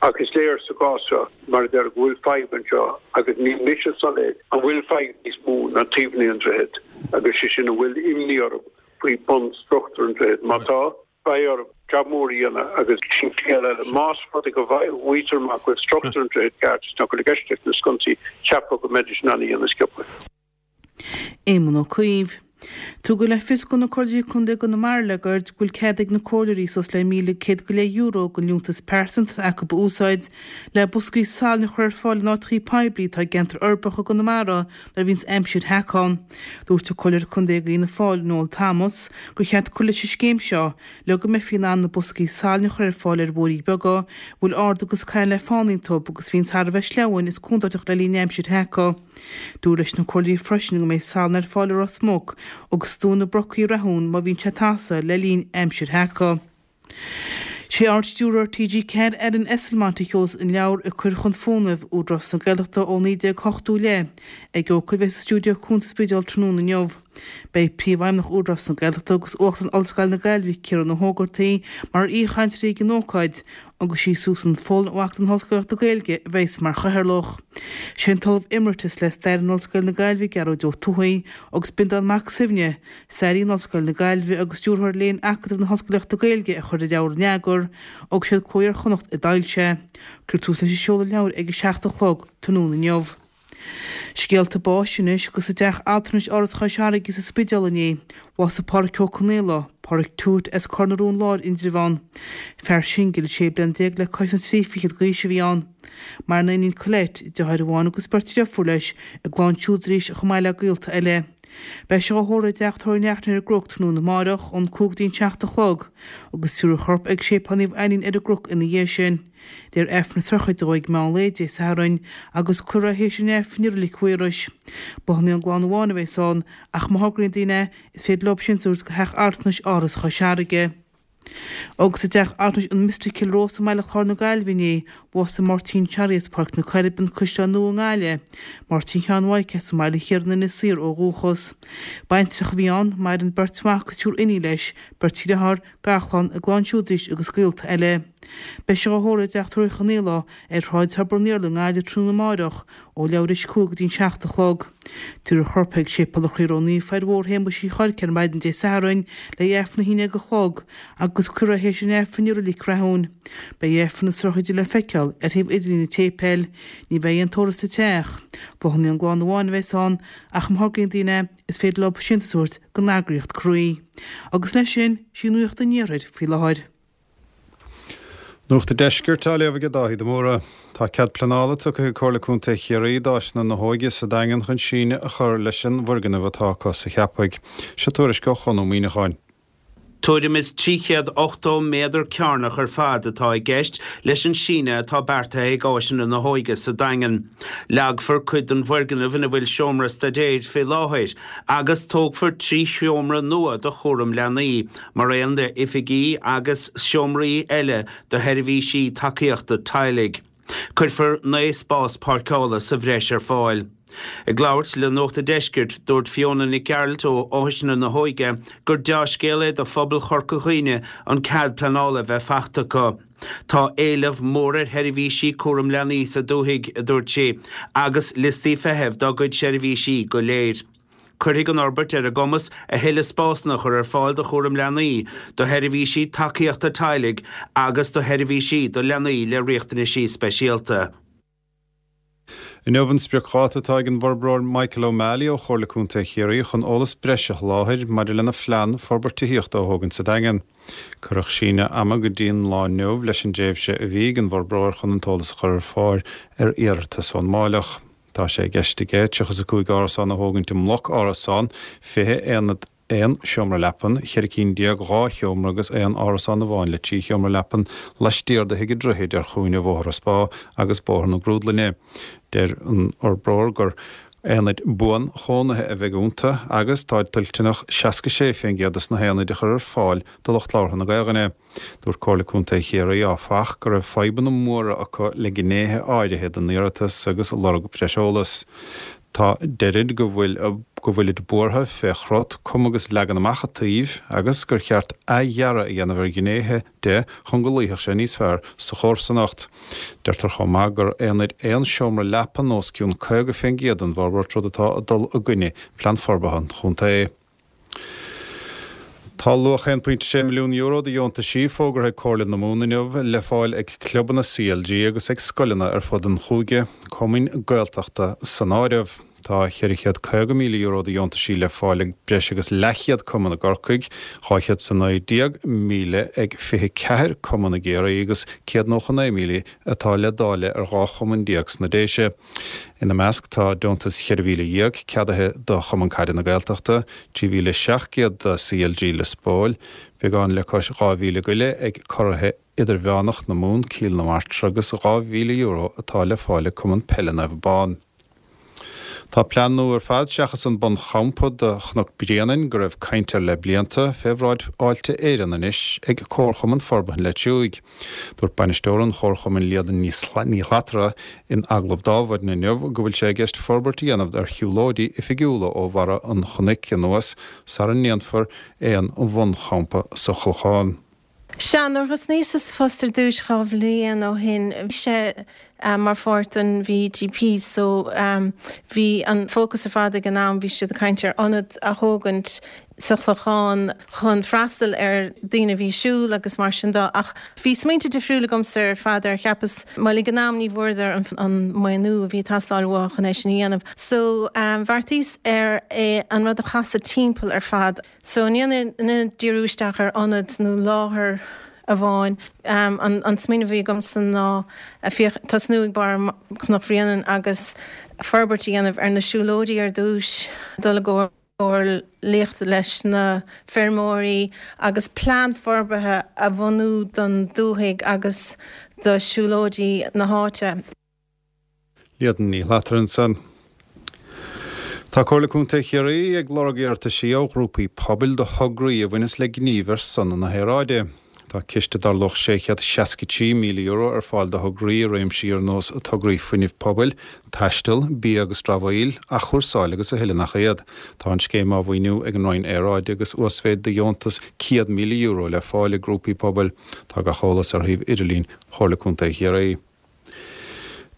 Ach is léir sa gcás seo, mar a deir, go bhfuil fadhb anseo agus níl mise soiléir an bhfuil fadhb níos mó ná taobhanna an droichid agus sé sin an bhfuil imní orm faoi bhunstruchtúr an droichid. Má tá, beidh orthu jab mór a dhéanamh agus sin scéal eile. Más rud é go bhfaightear amach go bhfuil struchtúr an droichid ceart is nach bhfuil i gceist leis na sconsaí, cheapfá go mbeidís in ann a dhéanamh sciobtha. Éamon Ó Cuív. Tugadh le fios do na Comhairleoirí Contae i gConamara le gairid go bhfuil cead ag na comhairleoirí suas le míle céad go leith euro den liúntas pearsanta atá acu a úsáid le boscaí salainn a chur ar fáil in áiteachaí poiblí atá i gceantar uirbeach i gConamara nuair a bhíonns aimsir sheaca ann. Dúirt an Comhairleoir Contae d'Fhianna Fáil, Noel Thomas, gur cheart cur leis an scéim seo le go mbeifí in ann na boscaí salainn a chur ar fáil ar bhóithrí beaga a bhfuil arda agus caillte le fána iontu agus a bhíonns thar a bheith sleamhain is contúirteach le linn aimsir sheaca. Dúradh leis na comhairleoirí freisin go mbeidh salann ar fáil i Ros Muc agus i dTóin na Brocaí i Rathún má bhíonn sé ag tasadh le linn aimsir sheaca. Sé Ard-Stiúrthóir T G ceathair Alan Esslemont a sheolfas an leabhar Ag Cur Chun Fónaimh, Údarás na Gaeltachta ó naoi déag ochtó i leith ag ócáid a bheidh sa stiúideo cuanta sa Spidéal tráthnóna inniu. Beidh Príomhfheidhmeannach Údarás na Gaeltachta agus Uachtarán Ollscoil na Gaillimhe Ciarán Ó hÓgartaigh mar aoichainteoirí ag an ócáid agus sí Susan Folan ó Acadamh na hOllscolaíochta Gaeilge a bheas mar chathaoirleach. Sé an tOllamh Emeritus le Stair in Ollscoil na Gaillimhe Gearóid Ó Tuathaigh agus Breandán Mac Suibhne, staraí in Ollscoil na Gaillimhe agus Stiúrthóir Léinn Acadamh na hOllscolaíochta Gaeilge a chuir an leabhar in eagar agus siad Cló Iar-Chonnacht a d'fhoilsigh é. Cuirfear tús leis an seoladh leabhair ag a seacht a chlog tráthnóna inniu. Scéalta báis anois agus i dteach altranais Áras Chois Fharraige sa Spidéal inné, bhásaigh Pádraic Ó Conaola, Pádraic Tuait as Cor na Rón Láir, Indreabhán. Fear singil, sé bliana déag le cois na trí fichead d'aois a bhí ann. Maireann a iníon Colette, deartháir amháin agus beirt deirfiúr leis, a gclann siúd arís chomh maith le gaolta eile. Beidh sé á thórramh i dteach tórraimh Uí Neachtain ar an gCnoc tráthnóna amáireach ón cúig go dtí an seacht a chlog agus tabharfar a chorp ag Séipéal Naomh Ainnín ar an gCnoc ina dhiaidh sin. Léifear Aifreann na sochraide dó ag meán lae Dé Sathairn agus cuirfear é théis an Aifrinn i Reilig Mhaorais. Bláthanna ón gclann amháin a bheas ann ach má thograíonn daoine é is féidir leo síntiús a thabhairt go Theach Altranais Áras Chois Fharraige. Agus i dteach altranais an Mystic Cill Rois i mBaile Chláir na Gaillimhe inné, bhásaigh Máirtín Charlie as Páirc na Coiribe, an Caisleán Nua i nGaillimh, Máirtín Sheáin Mhaidhc as an mBaile Thiar in Inis Oírr ó dhúchas. Baintreach a bhí ann, maireann beirt mhac agus triúr iníon leis, beirt dhearthár, garchlann, a gclann siúd arís agus gaolta eile. Beidh sé á thórramh i dteach tórraimh Uí Chonaola ar Shráid Thobar an Iarla i nGaillimh tráthnóna amáireach ó leathuair théis a cúig go dtí an seacht a chlog. Tabharfar a chorp chuig Séipéal an Chroí Ró-Naofa ar Bhóthar Shéamuis Uí Chorca ar maidin Dé Sathairn le hAifreann a haon déag a chlog agus cuirfear é théis an Aifrinn i Reilig Rathúin. Beidh Aifreann na sochraide le feiceáil ar shuíomh idirlín an tséipéil. Ní bheidh aon tórramh sa teach. Bláthanna ón gclann amháin a bheas ann ach má thograíonn daoine é, is féidir leo síntiús a thabhairt don eagraíocht Croí. Agus leis sin, sí nuacht an iarthair faoi láthair. Nuacht an Deiscirt á léamh ag Dáithí de Mórdha. Tá cead pleanála tugtha ag Comhairle Contae Chiarraí d'Áiseanna na hÓige sa Daingean chun síneadh a chur leis an bhfoirgneamh atá acu sa Cheapaigh. Seo tuairisc ó Chon Ó Muíneacháin. Tuairim is trí chéad ochtó méadar cearnach ar fad atá i gceist leis an síneadh atá beartaithe ag Áiseanna na hÓige sa Daingean. Leagfar cuid den bhfoirgneamh ina bhfuil seomra staidéir fé láthair agus tógfar trí sheomra nua do chúram leanaí, mar aon le oifigí agus seomraí eile do sheirbhísí tacaíochta teaghlaigh. Cuirfear naoi spás páirceála sa bhreis ar fáil. Ag labhairt le Nuacht an Deiscirt, dúirt Fiona Nic Gearailt ó Áiseanna na hÓige gur dea-scéal é do phobal Chorca Dhuibhne an cead pleanála a bheith faighte acu. Tá éileamh mór ar sheirbhísí cúram leanaí sa dúthaigh, a dúirt sí, agus liostaí feithimh dá gcuid seirbhísí go léir. Cuirfidh an fhorbairt ar a gcumas a thuilleadh spásanna a chur ar fáil do chúram leanaí, do sheirbhísí tacaíochta teaghlaigh agus do sheirbhísí do leanaí le riachtanaisí speisialta. Inniu an spriocdháta atá ag an bhforbróir Michael O'Malley ó Chomhairle Contae Chiarraí chun eolas breise a sholáthar maidir lena phlean forbairt tithíochta a thógaint sa Daingean. Cuireadh síneadh ama go dtí an lá inniu leis an dtréimhse a bhí ag an bhforbróir chun an t-eolas a chur ar fáil ar iarratas ón Máilleach. Tá sé i gceist aige tríocha is a cúig árasán a thógaint i mbloc árasán, fiche aonad aon seomra leapan, ceithre cinn déag dhá sheomra agus aon árasán amháin le trí sheomra leapan laistiar de Thigh an Droichid ar chúinne Bhóthar an Spá agus Bóthar na Grúdlainne. Deir an fhorbróir gur aonaid buan-chónaithe a bheidh iontu agus táid toilteanach seasca sé faoin gcéad de na haonaid a chur ar fáil do lucht labhartha na Gaelainne. Dúirt Comhairle Contae Chiarraí, áfach, go raibh fadhbanna móra acu le gnéithe áirithe den iarratas agus lorg breis eolais. Tá deirid go bhfuil go bhfuilid buartha fé chrot, cuma agus leagan amach an tsuímh agus gur cheart athdhearadh a dhéanamh ar ghnéithe de chun go luífeadh sé níos fearr sa chomharsanacht. Deirtear chomh maith gur aonaid aon seomra leapan os cionn caoga faoin gcéad den bhforbairt, rud atá ag dul i gcoinne Plean Forbartha an Chontae. Tá luach aon pointe sé milliún euro de dheontaisí fógartha ag Comhairle na Mumhan inniu le fáil ag clubanna C L G agus ag scoileanna ar fud an chúige, cumainn Gaeltachta san áireamh. Tá ceithre chéad caoga míle euro de dheontaisí le fáil ag breis agus leathchéad cumann i gCorcaigh, dhá chéad is a naoi déag míle ag fiche ceathair cumann i gCiarraí agus céad nócha naoi míle atá le dáileadh ar dhá chumann déag sna Déise. Ina measc tá deontas cheithre mhíle dhéag ceadaithe do Chumann Caide na Gaeltachta, trí mhíle seacht gcéad do C L G Lios Póil, beagán le cois dhá mhíle go leith ag Curaithe Idirmheánach na Mumhan, Cill na Martra agus dhá mhíle euro atá le fáil ag Cumann Peile Naomh Abán. Tá plean nua ar fad seachas an bunchampa do Chnoc Bréanainn go raibh caint air le blianta, fé bhráid Fháilte Éireann anois ag Comharchumann Forbartha an Leitriúigh. Dúirt bainisteoir an Chomharchumainn Líadan Ní Shlatara in agallamh d'Adhmhaidin inniu go bhfuil sé i gceist forbairt a dhéanamh ar shiúlóidí oifigiúla ó bharra an chnoic anuas sara ndéanfar aon bhunchampa sa Chlochán. Sea, nuair a thosnaíos sa phost ar dtús dhá bhliain ó shin, bhí sé mar pháirt den V E T P so bhí an fócas ar fad ag an am, bhí siad ag caint ar ionad a thógaint sa Chlochán chun freastal ar daoine a bhí ag siúl agus mar sin de ach bhí smaointe difriúla agamsa ar fad ar cheapas bhuel ag an am ní bhfuaireadar an, an maoiniú a bhí ag teastáil uathu chun é sin a dhéanamh. So um, bheartaíos ar é an rud a chasadh timpeall ar fad. So ní díriú isteach ar ionad nó láthair amháin um, an, an smaoineamh a bhí agamsa ná tosnú ag barr Chnoc Bhréanainn agus forbairt a dhéanamh ar na siúlóidí ar dtús dul i gcomhairle leis na feirmeoirí agus plean forbartha a bhunú don dúthaigh agus do siúlóidí na háite. Líadan Ní Shlatara ansan. Tá Comhairle Contae Chiarraí ag lorg iarrataisí ó ghrúpaí pobail do thograí a bhaineas le gníomh ar son na haeráide. Tá ciste dar luach sé chéad seasca trí míle euro ar fáil do thograí i réimsí ar nós tograí fuinnimh pobail, taisteal, bia agus dramhaíl, athchúrsáil agus a thuilleadh nach iad. Tá an scéim á mhaoiniú ag an Roinn Aeráide agus uasmhéid de dheontas céad míle euro le fáil ag grúpaí pobail. Tá gach eolas ar shuíomh idirlín Chomhairle Contae Chiarraí.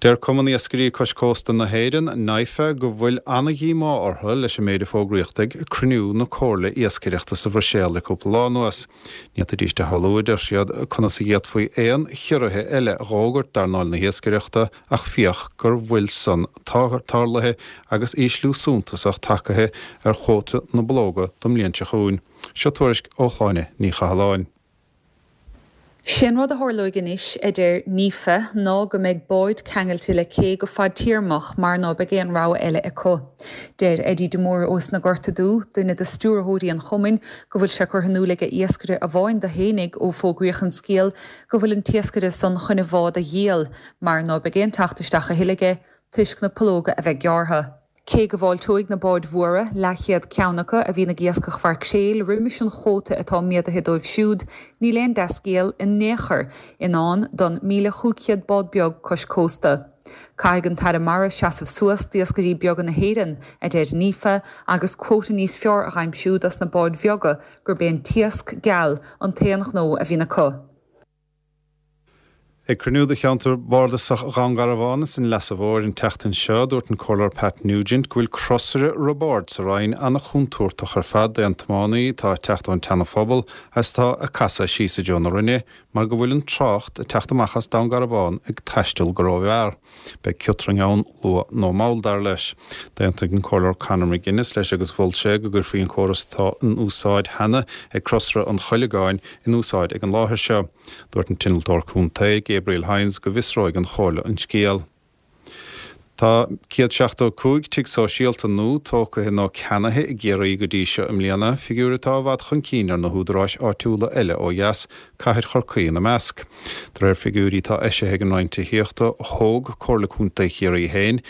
Deir Cumann Iascairí Cois Cósta na hÉireann, N I F A, go bhfuil an-dhíomá orthu leis an méid a fógraíodh ag cruinniú na Comhairle Iascaireachta sa Bhruiséil le cúpla lá anuas. Ní fhéadfaidís a shamhlú, a deir siad, conas a d'fhéadfaí aon chiorruithe eile a dh'fhógairt d'earnáil na hiascaireachta ach féach go bhfuil san tarlaithe agus ísliú suntasach tagtha ar chuóta na bpológa don mbliain seo chugainn. Seo tuairisc ó Shláine Ní Chathalláin. Sin rud a tharlóidh anois, a deir N I F A, ná go mbeidh báid ceangailte le cé go fadtéarmach mar ná beidh aon rogha eile acu. Deir Eddie de Mór ós na Gorta Dubh, duine de stiúrthóirí an chumainn, go bhfuil sé curtha in iúl ag iascaire amháin dó fhéinig ó fógraíodh an scéal go bhfuil an t-iascaire san chun a bhád a dhíol, mar ná beidh aon teacht isteach a thuilleadh aige toisc na pológa a bheith gearrtha. Cé go bhfáilteoidh na báid mhóra leathchéad ceann acu a bhíonn ag iascach mhaircréil roimis an chuóta atá méadaithe dóibh siúd, níl aon dea-scéal in aon chor i ndán don míle cúig chéad bád beag cois cósta. Caithfidh an tAire Mara seasamh suas d'iascairí beaga na hÉireann, a deir N I F A, agus cuóta níos fearr a aimsiú dos na báid bheaga gurb é an t-iasc geal an t-aon ghnó a bhíonn acu. Ag cruinniú de cheantar bardasach Dhún Garbhán is an Leasa Mhóir an tseachtain seo, dúirt an Comhairleoir Pat Nugent go bhfuil crosaire Roibeaird sa Rinn an-chontúirteach ar fad d'aon tiománaí atá ag teacht ón tSeana-Phobal agus atá ag casadh síos i dtreo na Rinne mar go bhfuil an trácht ag teacht amach as Dún Garbhán ag taisteal go rómhear. Beidh ciotrang ann luath nó mall dar leis. D'aontaigh an Comhairleoir Conor McGuinness leis agus mhol sé go gcuirfí an córas atá in úsáid cheana ag crosaire an Choileagáin in úsáid ag an láthair seo. Dúirt an t-innealtóir contae Gabriel Hines go bhfiosróidh an Chomhairle an scéal. Tá céad seachtó cúig tigh sóisialta nua tógtha nó ceannaithe i gCiarraí go dtí seo i mbliana, figiúr atá i bhfad chun cinn ar na húdaráis áitiúla eile ó dheas, cathair Chorcaí ina measc. De réir figiúirí atá eisithe ag an Roinn Tithíochta thóg Comhairle Contae Chiarraí féin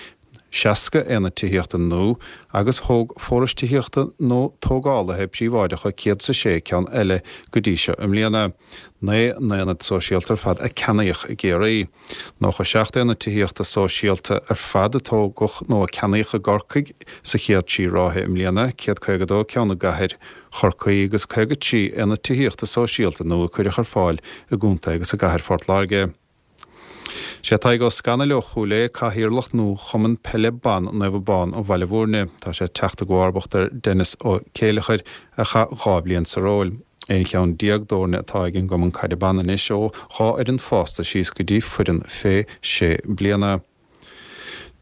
seasca aonad tithíochta nua agus thóg forais tithíochta nó tógálaithe príobháideacha céad is a sé ceann eile go dtí seo i mbliana. Naoi n-aonad sóisialta ar fad a ceannaíodh i gCiarraí. Nócha seacht aonad tithíochta sóisialta ar fad a tógadh nó a ceannaíodh i gCorcaigh sa chéad trí ráithe i mbliana, céad caoga dó ceann i gcathair Chorcaí agus caoga trí aonad tithíochta sóisialta nua a cuireadh ar fáil i gcontae agus i gcathair Phort Láirge. Sé Tadhg Ó Scanaill ó Chúil Aodha cathaoirleach nua Chumann Peile Ban Naomh Abán an Bhaile Mhúirne. Tá sé ag teacht i gcomharbacht ar Denis Ó Céileachair a chaith dhá bhliain sa ról. Aon cheann déag d'fhoirne atá ag an gcumann caide ban anois, ó dhá fhoireann fásta síos go dtí foireann fé sé bliana.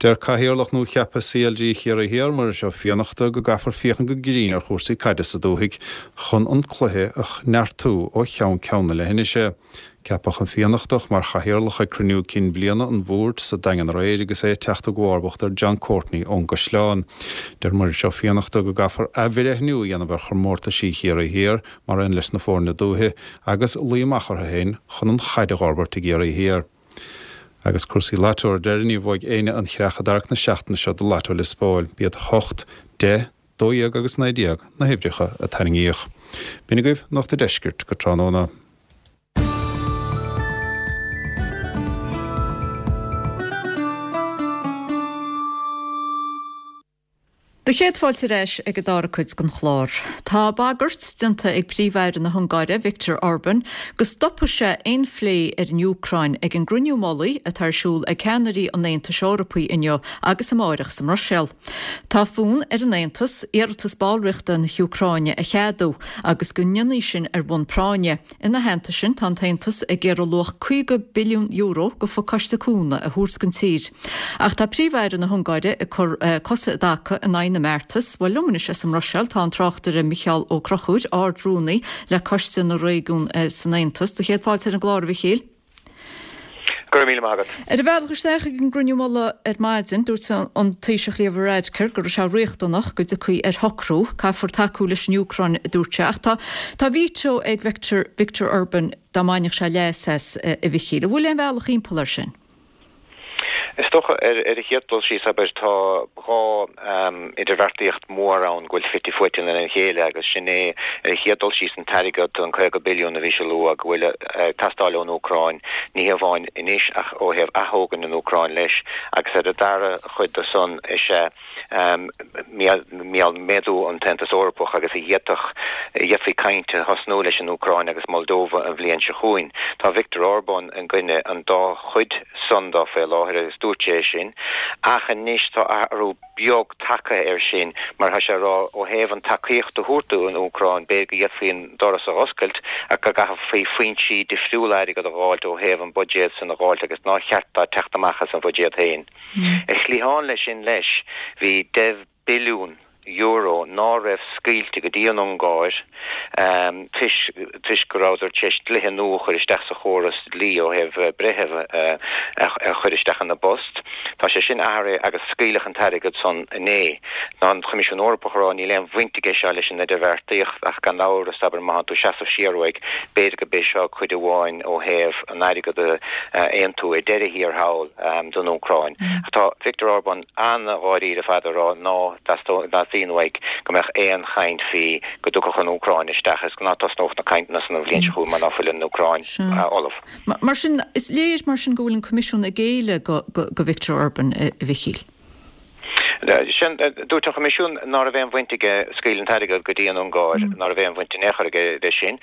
Deir Cathaoirleach nua-cheaptha CLG Chiarraí Thiar, Muiris Ó Fiannachta, go gcaithfear féachaint go grinn ar chúrsaí caide sa dúthaigh chun an cluiche a neartú ó cheann ceann na leithinise. Ceapadh an Fiannachtach mar chathaoirleach ag cruinniú cinn bliana an bhoird sa Daingean aréir agus é ag teacht i gcomharbacht ar John Courtney ón gCaisleán. Deir Muiris Ó Fiannachta go gcaithfear athbhreithniú a dhéanamh ar chomórtaisí Chiarraí Thiar mar aon leis na foirne dúiche agus luí amach orthu féin chun an chaid a dh'fhorbairt i gCiarraí Thiar. Agus cúrsaí Lotto ar deireadh, ní bhuaigh éinne an chreach i dtarrac na seachtaine seo do Lotto Lios Póil. B'iad hocht, deich, dó dhéag agus naoi déag na huimhreacha a tarraingíodh. B'in agaibh Nuacht an Deiscirt go tráthnóna. Do chéad fáilte ar ais ag an dara cuid den chlár. Tá bagairt déanta ag Príomh-Aire na hUngáire, Viktor Orban, go stopfaidh sé aon phlé ar an Úcráin ag an gcruinniú mullaigh atá ar siúl ag ceannairí an Aontais Eorpaigh inniu agus amáireach sa mBruiséil. Tá fonn ar an Aontas iarratas ballraíochta na hÚcráine a cheadú agus go ndéanfaí sin ar bhonn práinne. Ina theannta sin, tá an tAontas ag iarraidh luach caoga billiún euro de phacáiste cúnamh a thabhairt don tír. Ach tá Príomh-Aire na hUngáire ag cur cosa i dtaca in aghaidh na mbeartas. Bhuel, liom anois as an mBruiséil tá an tráchtaire Micheál Ó Conchúir, Ard-Rúnaí le Coiste na Réigiún san Aontas. Do chéad fáilte ar an gclár, a Mhichíl. Go raibh míle maith agat. Ar a bhealach isteach ag an gcruinniú mullaigh ar maidin, dúirt an Taoiseach Leo Varadkar go raibh sé riachtanach go dtiocfaí ar shocrú. Caithfear tacú leis an Úcráin, a dúirt sé. Ach tá tá veto ag Victor Victor Orban dá mbainfeadh sé leas as, a Mhichíl. An bhfuil aon bhealach thimpeall air sin? Is dócha, ar an chéad dul síos, abair, tá dhá idirbheartaíocht mhór ann go bhfuil fite fuaite lena chéile agus sin é, ar an chéad dul síos, an t-airgead, an caoga billiún a bhí sé a lua, go bhfuil ag teastáil ón Úcráin, ní hamháin anois ach ó thaobh aththógaint an Úcráin leis, agus ar an dara chuid de san is ea méadú an tAontas Eorpach agus a d'fhéadfadh, d'fhéadfaí caint a thosnú leis an Úcráin agus Moldova an bhliain seo chugainn. Tá Viktor Orbán i gcoinne an dá chuid san dó faoi láthair agus dúirt sé é sin ach anois tá athrú beag tagtha air sin mar tá sé ag rá ó thaobh an tacaíocht a thabhairt don Úcráin b'fhéidir go bhféadfaí an doras a dh'oscailt ach go gcaithfí foinsí difriúla airgead a dh'fháilt ó thaobh an buidéad san a dh'fháilt agus nár cheart dó teacht amach as an bhuidéad féin. Ar chliathán leis sin leis bhí deich billiún euro ná raibh scaoilte go dtí an Ungáir toisc toisc go rabhadar tar éis dlíthe nua a chur isteach sa chóras dlí ó thaobh breitheamh a chur isteach ina bpost. Tá sé sin athraithe agus scaoileadh an t-airgead san inné. Tá an Coimisiún Eorpach ag rá níl aon bhaint aige seo leis an idirbheartaíocht ach gan amhras, abair, má thánn tú ag seasamh siar uaidh, b'fhéidir go b'é seo cuid amháin ó thaobh an airgead a aontú ar deireadh thiar thall don Úcráin. Ach tá Viktor Orbán an-dháiríre ar fad ag rá ná dteastaíonn uaidh go mbeadh aon chaint faoi go dtiocfadh an Úcráin isteach is ná tosnódh na cainteanna san an bhliain seo chugainn mar ná fuil an Úcráin ullamh. Mar sin, is léir mar sin go bhfuil an Coimisiún ag géilleadh go Viktor Orban, a Mhichíl. Sin, dúirt an Coimisiún ná raibh aon bhaint aige scaoileadh an t-airgead go dtí an Ungáir, ná raibh aon bhaint in aon chor aige leis sin,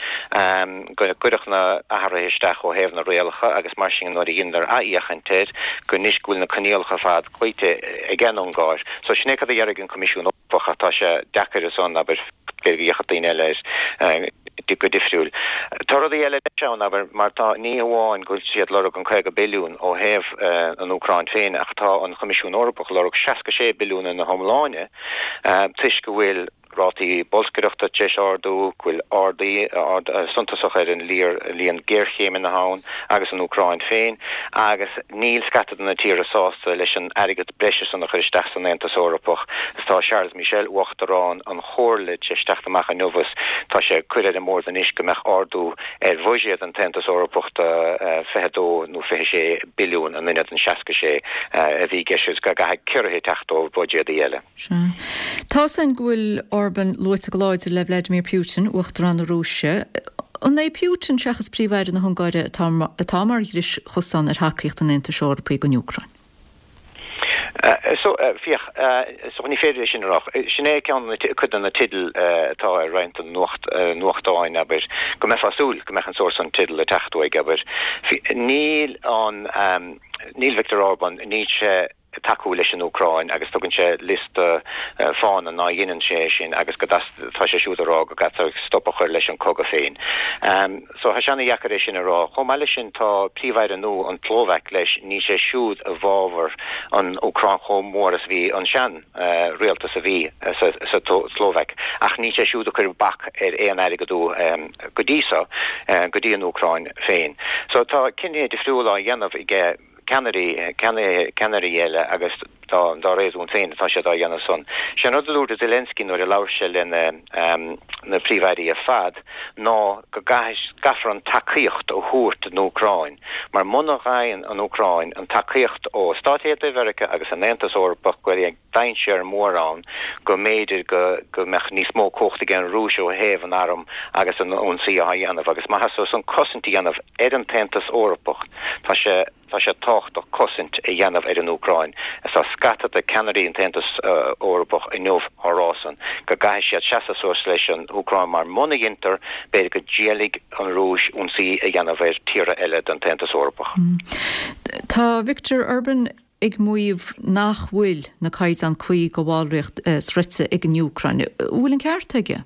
go gcuireadh na athruithe isteach ó thaobh na rialacha agus mar sin nuair a dheineadar athfhéachaint air, go anois go bhfuil na coinníollacha ar fad cloíte ag an Ungáir. So sin é cad a déarfaidh an Coimisiún Eorpach ach tá sé deacair ansan, abair, b'fhéidir go bhféachfadh daoine eile air go difriúil. Tá rudaí eile leis ann, abair, mar tá, ní hamháin go bhfuil siad lorg an caoga billiún ó thaobh an Úcráin féin ach tá an Choimisiún Eorpach lorg seasca sé billiún ina hiomláine toisc go bhfuil rátaí bolscaireachta tar éis ardú, go bhfuil ardú suntasach ar an líon géarchéimeanna ann agus an Úcráin féin agus níl scata de na tíortha sásta leis an airgead breise san a chur isteach san Aontas Eorpach. Tá Charles Michel, Uachtarán an Chomhairle, tar éis teacht amach inniu is tá sé ag cur ar an mbord anois go mbeadh ardú ar bhuiséad an tAontas Eorpach do fiche dó nó fiche sé billiún in ionad an seasca sé a bhí i gceist agus go gcaithfidh ciorruithe teacht ó bhuiséadaí eile. Sea. Tá 's againn go bhfuil Orban luaite go láidir le Vladimir Putin, Uachtarán na Rúise. An é Putin seachas Príomh-Aire na hUngáire atá mar dris chosán ar thacaíocht an Aontais Eorpaigh don Úcráin? So, féach, so ní féidir é sin a rá. Sin é ceann cuid de na teidil atá ar roinnt den nuachtáin, abair, go mbeifeá ag súil go mbeadh an sórt san teideal ag teacht uaidh, abair. Níl an, níl Viktor Orbán, níl sé ag tacú leis an Úcráin agus tugann sé liosta fáthanna ná dheineann sé é sin agus go tá sé siúd ag rá go gcaithfear stop a chur leis an cogadh féin. So tá sé ana-dheacair é sin a rá. Chomh maith leis sin tá Príomh-Aire nua an tSlóvaic leis, níl sé siúd i bhfabhar an Úcráin chomh mór is a bhí an sean rialtas a bhí sa tSlóvaic ach níl sé siúd ag cur bac ar aon airgeadú go dtí so go dtí an Úcráin féin. So tá cinntí difriúla á dhéanamh aige ceannairí, ceannairí eile agus dá, dá réasún féin atá siad á dhéanamh san. Sé an rud a dúirt Zelensky nuair a labhair sé lena, na príomh-airí ar fad ná go gcaithfear an tacaíocht a thabhairt don Úcráin mar muna bhfaigheann an Úcráin an tacaíocht ó Stáit Aontaithe Mheiriceá agus an Aontas Eorpach go bhfuil dainséar mór ann go mb'fhéidir go go mbeadh níos mó cumhacht ag an Rúis ó thaobh an arm agus an ionsaí á dhéanamh agus má theastaíonn san cosaint a dhéanamh ar an tAontas Eorpach tá sé Tá sé tábhachtach cosaint a dhéanamh ar an Úcráin. Tá scata de ceannairí an tAontas Eorpach inniu á rá san go gcaithfidh siad seasamh suas leis an Úcráin mar muna dheintear, b'fhéidir go dtriailfidh an Rúis ionsaí a dhéanamh ar tíortha eile den tAontas Eorpach. Tá Viktor Orban ag maíomh nach bhfuil na caighdeáin cuí do bhallraíocht sroichte ag an Úcráin. An bhfuil an ceart aige?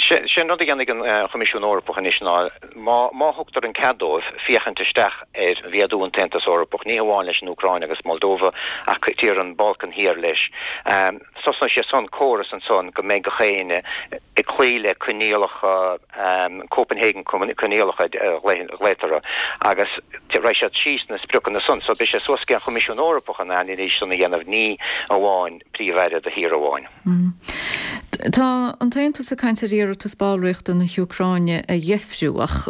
Sé an rud a dhéanfaidh an Choimisiún Eorpach anois ná, má thugtar an cead dóibh, féachaint isteach ar mhéadú an tAontas Eorpach, ní hamháin leis an Úcráin agus Moldova ach tíortha an Bhalcáin Thiar leis. Tosnóidh sé san córas ansan go mbeidh gach éinne ag cloí le coinníollacha Copenhagen coinníollacha a ghlaotar orthu agus raghaidh siad síos na spriocanna san. So beidh sé suas ag an Choimisiún Eorpach an anailís san a dhéanamh, ní amháin Príomh-Aire de thír amháin. Tá an tAontas ag caint ar iarratas ballraíochta na hÚcráine a dheifriú, ach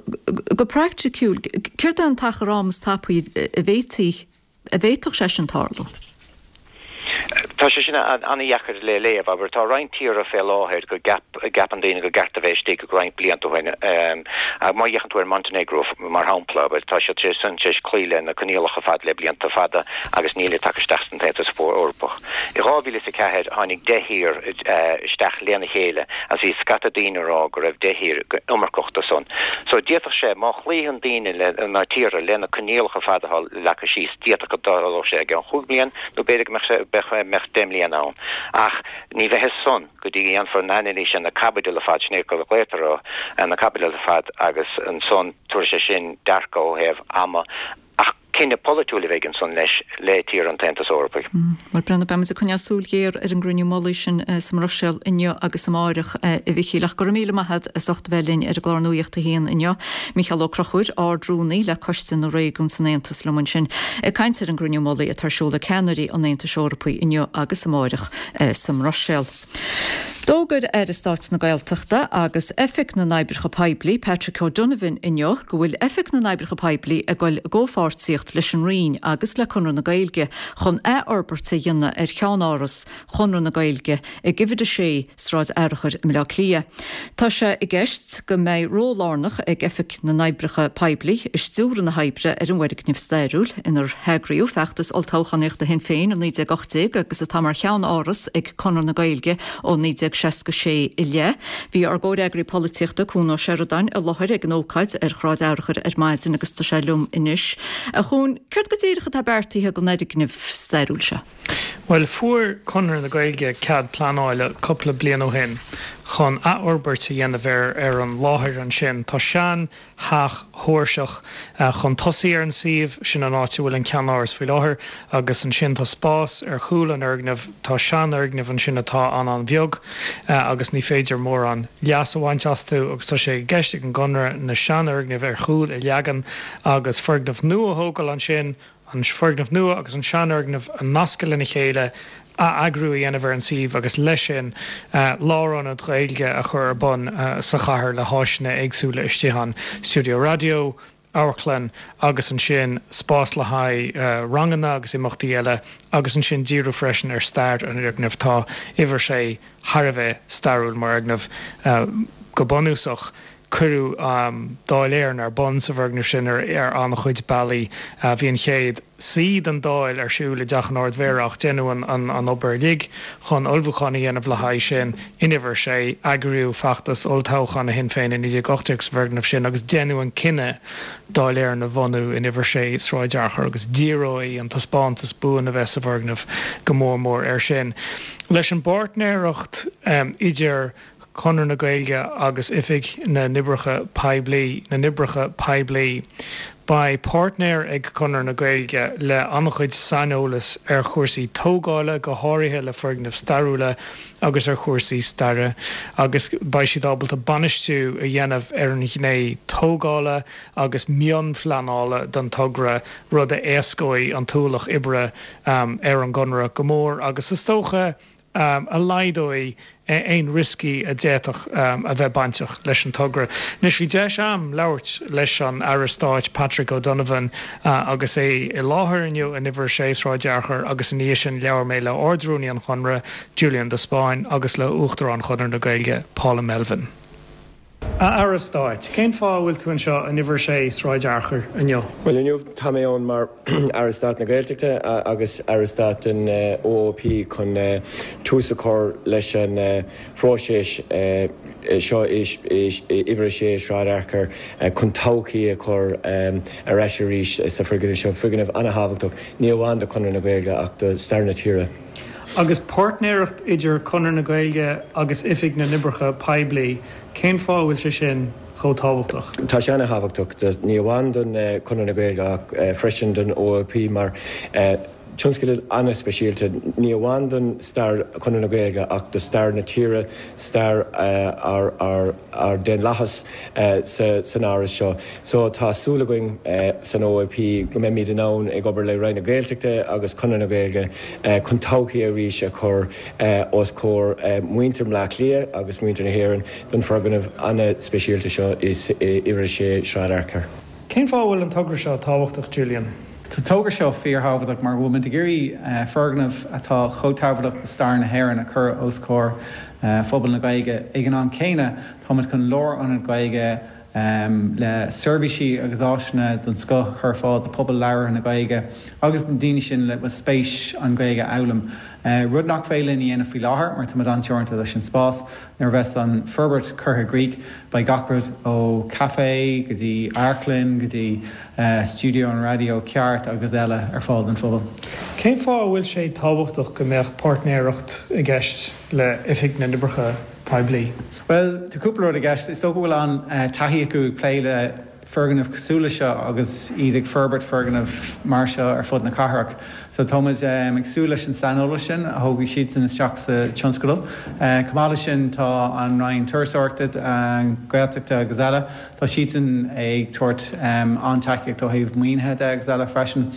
go praiticiúil, céard é an t-achar ama is tapaí a bhféadfaidh a bhféadfadh sé sin tarlú? Tá sé sin an-dheacair le léamh, abair. Tá roinnt tíortha fé láthair go gceapann daoine go gceart a bheith istigh ag roinnt blianta ó shin. Má fhéachann tú ar Montenegro, mar shampla, abair, tá siad san tar éis cloí le na coinníollacha fad le blianta fada agus níl tagtha isteach san tAontas Eorpach. I dhá mhíle is a ceathair tháinig deich thír isteach lena chéile agus bhí scata daoine ag rá go raibh deich thír iomarcach do san. So d'fhéadfadh sé, má chloíonn daoine le, na tíortha le na coinníollacha fad atá leagtha síos, d'fhéadfadh go dtarlódh sé i gceann chúig bliain nó b'fhéidir go mbeadh sé, beadh, mbeadh deich mbliana ann. Ach ní bheidh fhios san go dtí go ndéanfar an anailís ar na caibidil ar fad, sin é go ghlaotar orthu, ar na caibidil ar fad agus ansan tabharfaidh sé sin dearcadh ó thaobh ama. Ach cinneadh polaitiúil a bheidh ansan leis le tíortha an tAontais Eorpaigh. Bhuel, Breandán, beimid ag coinneáil súil ghéar ar an gcruinniú mullaigh sin sa mBruiséil inniu agus amáireach, a Mhichíl. Ach go raibh míle maith agat as ucht a bheith linn ar an gclár Nuacht a hAon inniu. Micheál Ó Conchúir, Ard-Rúnaí le Coiste na Réigiún san Aontas liom ansin ag caint ar an gcruinniú mullaigh atá ar siúl ag ceannairí an Aontais Eorpaigh inniu agus amáireach sa mBruiséil. D'fhógair Aire Stáit na Gaeltachta agus Oifig na nOibreacha Poiblí, Patrick O'Donovan inniu go bhfuil Oifig na nOibreacha Poiblí ag dul i gcomhpháirtíocht leis an Roinn agus le Conradh na Gaeilge chun athfhorbairt a dhéanamh ar cheannáras Chonradh na Gaeilge ag uimhir a sé, Sráid Fhearchair i mBaile Átha Cliath. Tá sé i gceist go mbeidh ról lárnach ag Oifig na nOibreacha Poiblí i stiúradh na hoibre ar an bhfoirgneamh stairiúil inar heagraíodh feachtas olltoghchánaíochta Shinn Féin i naoi déag ocht déag agus atá mar cheann-áras ag Conradh na Gaeilge ó naoi déag seasca sé i leith. Bhí ár gcomhfhreagraí polaitíochta, Cuan Ó Seireadáin, i láthair ag an ócáid ar Shráid Fhearchair ar maidin agus tá sé liom anois. A Chuain, céard go díreach atá beartaithe don fhoirgneamh stairiúil seo? Bhuel, fuair Conradh na Gaeilge cead pleanála cúpla bliain ó shin chun athfhorbairt a dhéanamh ar ar an láthair ansin. Tá sean theach Sheoirseach chun tosaigh ar an suíomh, sin an áit a bhfuil an ceannáras faoi láthair, agus ansin tá spás ar chúl an fhoirgnimh, tá seanfhoirgneamh ansin atá an-an-bheag agus ní féidir mórán leas a bhaint astu agus tá sé i gceist ag an gConradh na seanfhoirgnimh ar chúl a leagan agus foirgneamh nua a thógáil ansin, an foirgneamh nua agus an seanfhoirgneamh a nascadh lena chéile, atheagrú a dhéanamh ar an suíomh agus leis sin lárionad Gaeilge a chur ar bun sa chathair le háiseanna éagsúla istigh ann, stiúideo raidió, amharclann agus ansin spás le haghaidh ranganna agus imeachtaí eile agus ansin díriú freisin ar stair an fhoirgnimh. Tá uimhir sé thar a bheith stairiúil mar fhoirgneamh go bunúsach. Cuireadh Dáil Éireann ar bun sa bhfoirgneamh sin ar an-chuid bealaí. Bhí an chéad suí den Dáil ar siúl i dTeach an Ard-Mhéara ach deineadh an obair uilig chun ullmhúchán a dhéanamh le haghaidh sin in uimhir a sé. Eagraíodh feachtas olltoghcháin Shinn Féin i naoi déag ocht déag sa bhfoirgneamh sin agus deineadh an cinneadh Dáil Éireann a bhunú in uimhir a sé Sráid Fhearchair agus díreoidh an taispeántas buan a bheas sa bhfoirgneamh go mór mór air sin. Leis an bpáirtnéireacht idir Conradh na Gaeilge agus Oifig na nOibreacha Poiblí, na nOibreacha Poiblí. Beidh páirtnéir ag Conradh na Gaeilge le an-chuid saineolas ar chúrsaí tógála, go háirithe le foirgnimh stairiúla agus ar chúrsaí staire, agus beidh siad ábalta bainistiú a dhéanamh ar an ghné tógála agus mionphleanála den togra, rud a éascóidh an t-ualach oibre ar an gConradh go mór agus is dócha a laghdóidh aon rioscaí a d'fhéadfadh a bheith bainteach leis an togra. Anois bhí deis a'm labhairt leis an Aire Stáit Patrick O'Donovan agus é i láthair inniu in Uimhir a sé Sráid Fhearchair agus ina dhiaidh sin labhair mé le Ard-Rúnaí an Chonradh, Julian de Spáinn agus le Uachtarán Chonradh na Gaeilge, Paula Melvin. A Aire Stáit, cén fáth a bhfuil tú anseo in Uimhir a sé Sráid Fhearchair inniu? Bhuel, inniu tá mé ann mar Aire Stáit na Gaeltachta agus Aire Stáit den OOP chun tús a chur leis an phróiseas seo i Uimhir a sé Sráid Fhearchair chun todhchaí a chur ar ais arís sa foirgneamh seo, foirgneamh an-thábhachtach ní amháin do Chonradh na Gaeilge ach do stair na tíre. Agus páirtnéireacht idir Conradh na Gaeilge agus Oifig na nOibreacha Poiblí, cén fáth a bhfuil sé sin chomh tábhachtach? Tá sé ana-thábhachtach, ní amháin don Chonradh na Gaeilge ach freisin don OOP mar tionscadal ana-speisialta, ní amháin don stair Chonradh na Gaeilge ach do stair na tíre, stair ár ár daonlathas san áras seo. So tá súil againn san OOP go mbeimid in ann ag obair le Roinn na Gaeltachta agus Conradh na Gaeilge chun todhchaí arís a chur os comhair muintir Bhaile Átha Cliath agus muintir na hÉireann don foirgneamh an-speisialta seo i Uimhir a sé Sráid Fhearchair. Cén fáth a bhfuil an togra seo tábhachtach, Julian? Tá an togra seo fíorthábhachtach mar go bhfuil muid ag iarraidh foirgneamh atá chomh tábhachtach do stair na hÉireann a chur os comhair phobal na Gaeilge. Ag an am céanna, táimid chun lárionad Gaeilge le seirbhísí agus áiseanna den scoth a chur ar fáil do phobal labhartha na Gaeilge agus na daoine sin le bhfuil spéis an Ghaeilge a fhoghlaim. Rud nach féidir linn a dhéanamh faoi láthair mar táimid an-teoranta leis an spás. Nuair a bheas an forbairt curtha i gcrích, beidh gach rud ó caife go dtí amharclann go dtí stiúideo an raidió ceart agus eile ar fáil don phobal. Cén fáth a bhfuil sé tábhachtach go mbeadh páirtnéireacht i gceist le Oifig na nOibreacha Poiblí? Bhuel, tá cúpla rud i gceist. Is dócha go bhfuil an-taithí acu ag plé le foirgnimh cosúil leis seo agus iad ag forbairt foirgneamh mar seo ar fud na cathrach. So táimid ag súil leis an saineolas sin a thógfaidh siadsan isteach sa tionscadal. Chomh maith leis sin tá an Roinn Turasóireachta, Gaeltachta agus eile, tá siadsan ag tabhairt an-tacaíocht ó thaobh maoinithe de agus eile freisin.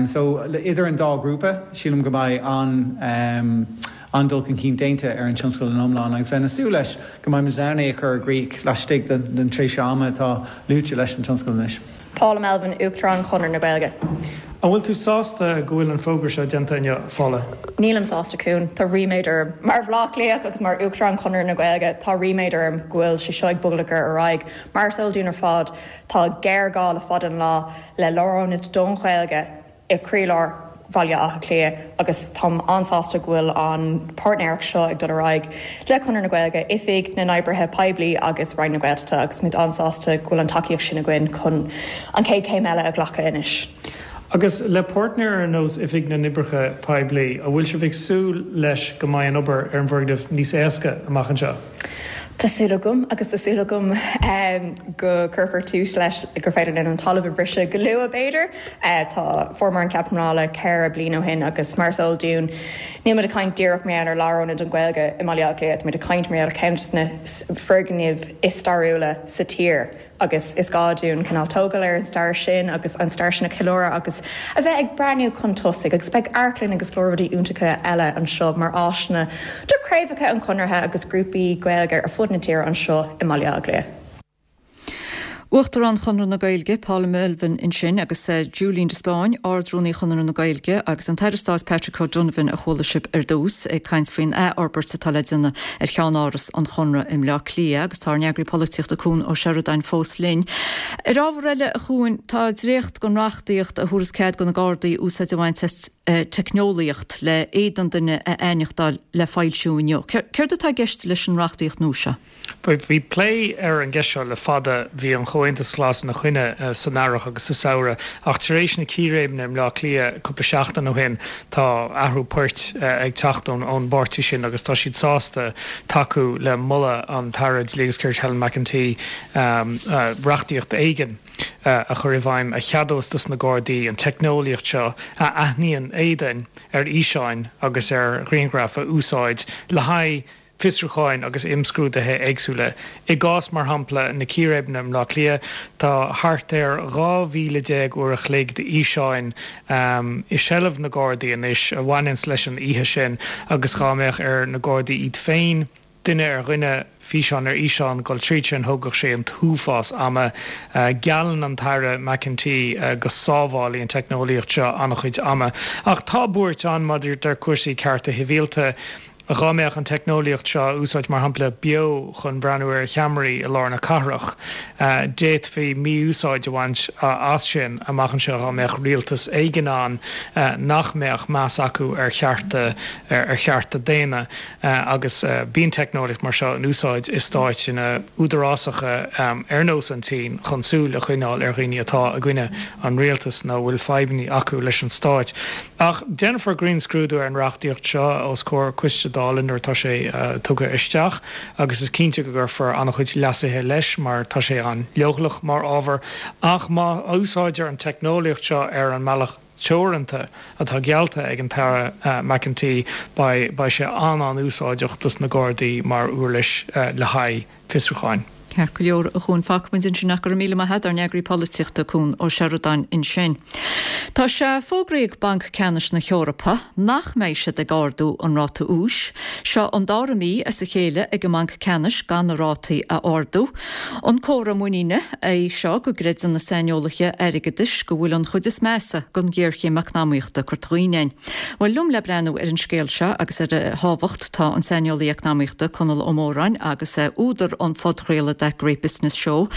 So idir an dá ghrúpa sílim go mbeidh an an-dul chun cinn déanta ar an tionscadal in iomlán agus bheinn ag súil leis go mbeimid in ann é a chur i gcrích laistigh den tréimhse ama atá luaite leis an tionscadal anois. Paula Melvin, Uachtarán Chonradh na Gaeilge. An bhfuil tú sásta go bhfuil an fógra seo déanta inniu, Paula? Nílim sásta, Cuan. Tá ríméad orm. Mar Bhaile Átha Cliathach agus mar Uachtarán Chonradh na Gaeilge, tá ríméad orm go bhfuil sé seo ag bogadh ar aghaidh. Mar is eol dúinn ar fad, tá géarghá le fada an lá le lárionad don Ghaeilge i gcroílár Bhaile Átha Cliath agus táim an-sásta go bhfuil an páirtnéireacht seo ag dul ar aghaidh le Conradh na Gaeilge, Oifig na nOibrithe Poiblí agus Roinn na Gaeltachta agus muid an-sásta go bhfuil an tacaíocht sin againn chun an chéad chéim eile a ghlacadh anois. Agus le páirtnéir ar nós Oifig na nOibreacha Poiblí, an bhfuil sibh ag súil leis go mbeidh an obair ar an bhfoirgneamh níos éasca amach anseo? Tá súil agam, agus tá súil agam go gcuirfear tús leis, gur féidir linn an talamh a bhriseadh go luath, b'fhéidir. Tá, fuaireamar an cead pleanála ceithre bliana ó shin agus mar is eol dúinn, níl muid ag caint díreach mar gheall ar lárionad don Ghaeilge i mBaile Átha Cliath, tá muid ag caint mar gheall ar ceann de na foirgnimh is stairiúla sa tír. agus is gá dúinn cineál tógáil ar an stair sin agus an stair sin a cheiliúradh agus a bheith ag breathnú chun tosaigh agus beidh amharclann agus go leor rudaí iontacha eile anseo mar áiseanna do chraobhacha an Chonartha agus grúpaí Gaeilge ar fud na tíre anseo i mBaile Átha Cliath. Uachtarán Chonradh na Gaeilge, Paula Melvin ansin agus Julian de Spáinn, Ard-Rúnaí Chonradh na Gaeilge agus an tAire Stáit Patrick O'Donovan a chuala sibh ar dtús ag caint faoin athfhorbairt atá le déanamh ar cheannáras an Chonradh i mBleá Cliath agus tá ár n-eagraí polaitíochta Cuan Ó Seireadáin fós linn. Ar ábhar eile a Chuain, tá dréacht den reachtaíocht a thabharfas cead do na Gardaí úsáid a bhaint as teicneolaíocht le éadan duine a aithneachtáil le foilsiú inniu. Céard atá i gceist leis an reachtaíocht nua seo? Bhí plé ar an gceist seo le fada, bhí an Comhaontas Glas ina choinne san earrach agus sa samhradh, ach tar éis na círéibeanna i mBleá Cliath cúpla seachtain ó shin, tá athrú poirt ag teacht ón bpáirtí sin agus tá siad sásta tacú le moladh an tAire Dlí agus Cirt Helen McEntee reachtaíocht éigin a chur i bhfeidhm a cheadós dos na Gardaí an teicneolaíocht seo a aithníonn éadain ar fhíseáin agus ar ghrianghraif a úsáid le haghaidh fiosrúcháin agus imscrúduithe éagsúla. I gcás, mar shampla, na círéibeanna i mBleá Cliath, tá thart ar dhá mhíle déag uair a chloig d'fhíseáin i seilbh na Gardaí anois a bhaineanns leis an oíche sin agus dhá mbeadh ar na Gardaí iad féin, duine ar dhuine, físeán ar fhíseán, dul tríd sin, thógfadh sé an t-uafás ama. Geallann an tAire McEntee go sábhálfaidh an teicneolaíocht seo an-chuid ama. Ach tá buairt ann maidir le cúrsaí cearta sibhialta. Dhá mbeadh an teicneolaíocht seo á úsáid, mar shampla, beo chun breathnú ar cheamaraí i lár na cathrach, d'fhéadfaí mí-úsáid a bhaint as sin amach anseo dhá mbeadh rialtas éigin ann nach mbeadh meas acu ar chearta ar chearta daonna. Agus bíonn teicneolaíocht mar seo in úsáid i stáit údarásacha ar nós an tSín chun súil a choinneáil ar dhaoine atá i gcoinne an rialtais nó a bhfuil fadhbanna acu leis an stát. Ach déanfar grinnscrúdú ar an reachtaíocht seo os comhair coiste Dála nuair atá sé tugtha isteach agus is cinnte go gcuirfear an-chuid leasuithe leis mar tá sé an-leochaileach mar ábhar. Ach má úsáidtear an teicneolaíocht seo ar an mbealach teoranta atá geallta ag an tAire McEntee beidh sé an-an-úsáideach dos na Gardaí mar uirlis le haghaidh fiosrúcháin. Ceart go leor, a Chuain, fágfaimid ansin é. Go raibh míle maith agat, ár n-eagraí polaitíochta, Cuan Ó Seireadáin ansin. Tá sé fógraithe ag Banc Ceannais na hEorpa nach mbeidh siad ag ardú an ráta úis. Seo an dara mí as a chéile ag an mBanc Ceannais gan na rátaí a ardú. An comhartha muiníne é seo go gcreideann na saineolaithe airgeadais go bhfuil an chuid is measa den ghéarchéim eacnamaíochta curtha dhínn againn. Bhuel, liom le breathnú ar an scéal seo agus ar a thábhacht tá an saineolaí eacnamaíochta Conall Ó Móráin agus údar an phodchraoladh That Great Business Show.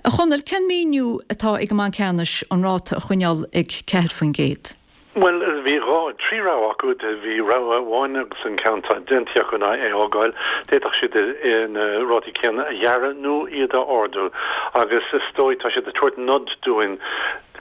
A Chonaill, cén míniú atá ag an mBanc Ceannais an ráta a choinneáil ag ceathair faoin gcéad? Bhuel, bhí dhá, trí rogha acu. Bhí rogha amháin agus an ceann atá déanta acu ná é a fhágáil. D'fhéadfadh siad na rátaí céanna a ghearradh nó iad a ardú. Agus is dóigh, tá siad ag tabhairt nod dúinn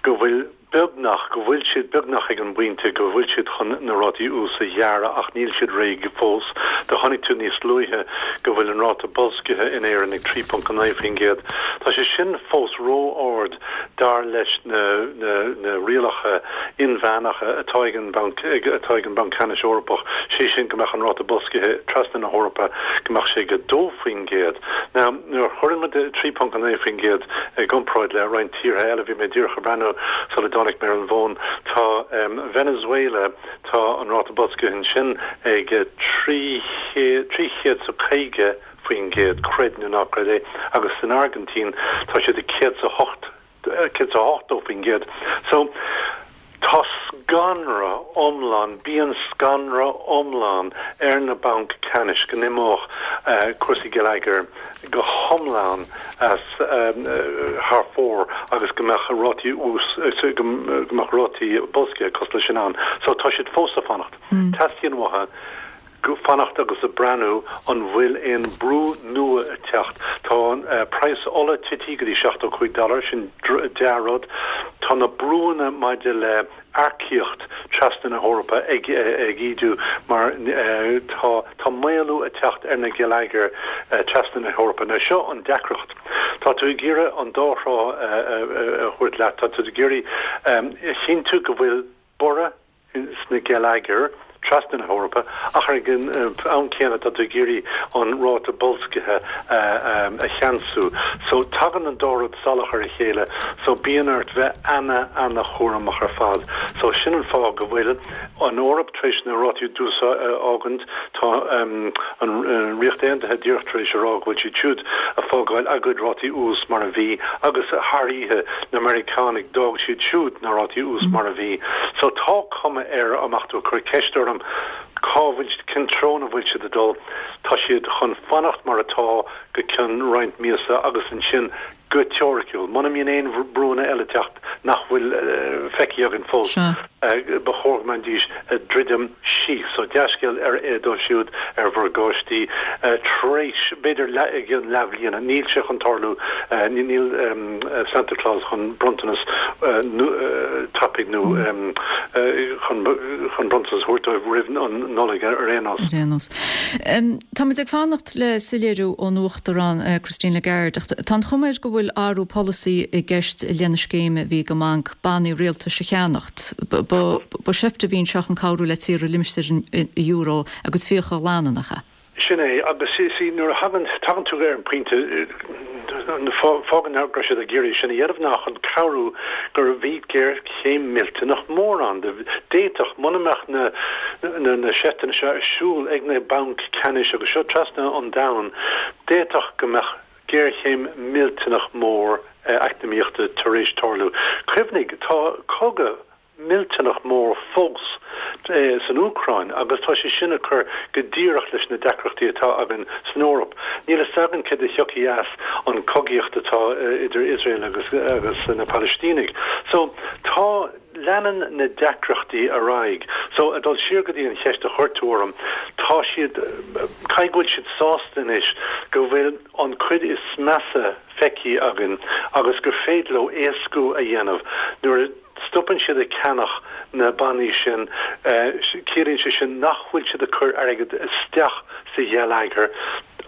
go bhfuil beagnach, go bhfuil siad beagnach ag an bpointe go bhfuil siad chun na rátaí ús a ghearradh ach níl siad réidh fós. Do chonaic tú níos luaithe go bhfuil an ráta boilscithe in Éirinn ag trí ponc a naoi faoin gcéad. Tá sé sin fós ró-ard dar leis na na rialacha inmheánacha atá ag an Bhanc atá ag an Banc Ceannais Eorpach, sé sin go mbeadh an ráta boilscithe trasna na hEorpa go mbeadh sé ag a dó faoin gcéad. Now nuair a chuireann muid trí ponc a naoi faoin gcéad i gcomparáid le roinnt tíortha eile, bhí mé díreach ag breathnú sula dtáinig mé ar an bhfón, tá Venezuela, tá an ráta boilscithe ansin ag trí trí chéad 's a caoga faoin gcéad, creid nó ná creid é, agus san Airgintín tá siad ag céad 's a hocht, céad 's a hochtó faoin gcéad. So, tá scanradh iomlán, bíonn scanradh iomlán ar na bainc ceannais go n-imeodh cúrsaí geilleagair go hiomlán as thar fóir agus go mbeadh rátaí ús, go mbeadh rátaí boilscithe cosúil leis sin ann. So tá siad fós ag fanacht. Teastaíonn uathu fanacht agus ag breathnú an bhfuil aon brú nua ag teacht. Tá an praghas ola tití go dtí seachtó cúig dollar, sin dea-rud. Tá na brúanna maidir le earcaíocht trasna na hEorpa ag ag ídiú mar tá tá maolú ag teacht ar na geilleagair trasna na hEorpa. Now seo an deacracht. Tá tú ag iarraidh an dá thrá a thabhairt leat. Tá tú ag iarraidh a chinntiú go bhfuil borradh sna geilleagair trasna na hEorpa, ach ag an am céanna tá tú ag iarraidh an ráta boilscithe a cheansú. So tagann an dá rud salach ar a chéile, so bíonn ort bheith ana, ana-chúramach ar fad. So sin an fáth go bhfuil an Eoraip tar éis na rátaí ús a fhágaint, tá an Ríocht Aontaithe díreach tar éis a rá go bhfuil siad siúd ag ag fágáil a gcuid rátaí ús mar a bhí agus thar oíche na Meiriceánaigh d'fhág siad siúd na rátaí ús mar a bhí. So tá cuma air dá mbeadh tú ag cur ceist orm cá bhfuil cén treo ina bhfuil siad ag dul, tá siad chun fanacht mar atá go ceann roinnt míosa agus ansin go teoiriciúil, muna mbíonn aon brúanna eile ag teacht nach bhfuil feicthe againn fós, ba chóir go mbeidís ag druidim síos. So dea-scéal ar dóibh siúd ar mhorgáistí tar éis, b'fhéidir i gcionn leathbhliana, níl sé chun tarlú, níl Santa Claus chun bronntanas tapaidh nó chun bronntanas a thabhairt dóibh roimh an Nollaig ar aon nós. Ar aon nós. Táimid ag fanacht le soiléiriú ón Uachtarán Christine Lagarde ach tá an chuma air go bhfuil athrú polasaí i gceist lena scéim a bhí ag an mbanc bannaí rialtais a cheannacht. Ba sheift a bhí anseo chun cabhrú le tíortha limistéar an euro a gcuid fiacha a ghlanadh, nach ea? Sin é, agus see, nuair a thagann, tagann tú ar an bpointe, fágann go raibh siad ag iarraidh sin a dhéanamh ná chun cabhrú gur bhí géarchéim millteanach mór ann. D'fhéadfadh, muna mbeadh na, na, na seifteanna seo ar siúl ag na bainc ceannais agus seo trasna an domhain, d'fhéadfadh go mbeadh géarchéim millteanach mór eacnamaíochta tar éis tarlú. Cuimhnigh, tá cogadh millteanach mór fós san Úcráin agus tá sé sin ag cur go díreach leis na deacrachtaí atá againn san Eoraip. Níl a fhios againn céard a thiocfaidh as an cogaíocht atá idir Iosrael agus agus na Palaistínigh. So tá, leanann na deacrachtaí ar aghaidh. So ag dul siar go dtí an cheist a chuir tú orm, tá siad, caithfidh go bhfuil siad sásta anois go bhfuil an cuid is measa feicthe againn agus gur féidir leo éascú a dhéanamh nuair a stopann siad ag ceannach na bannaí sin, ciallaíonn sé sin nach bhfuil siad ag cur airgead isteach sa gheilleagar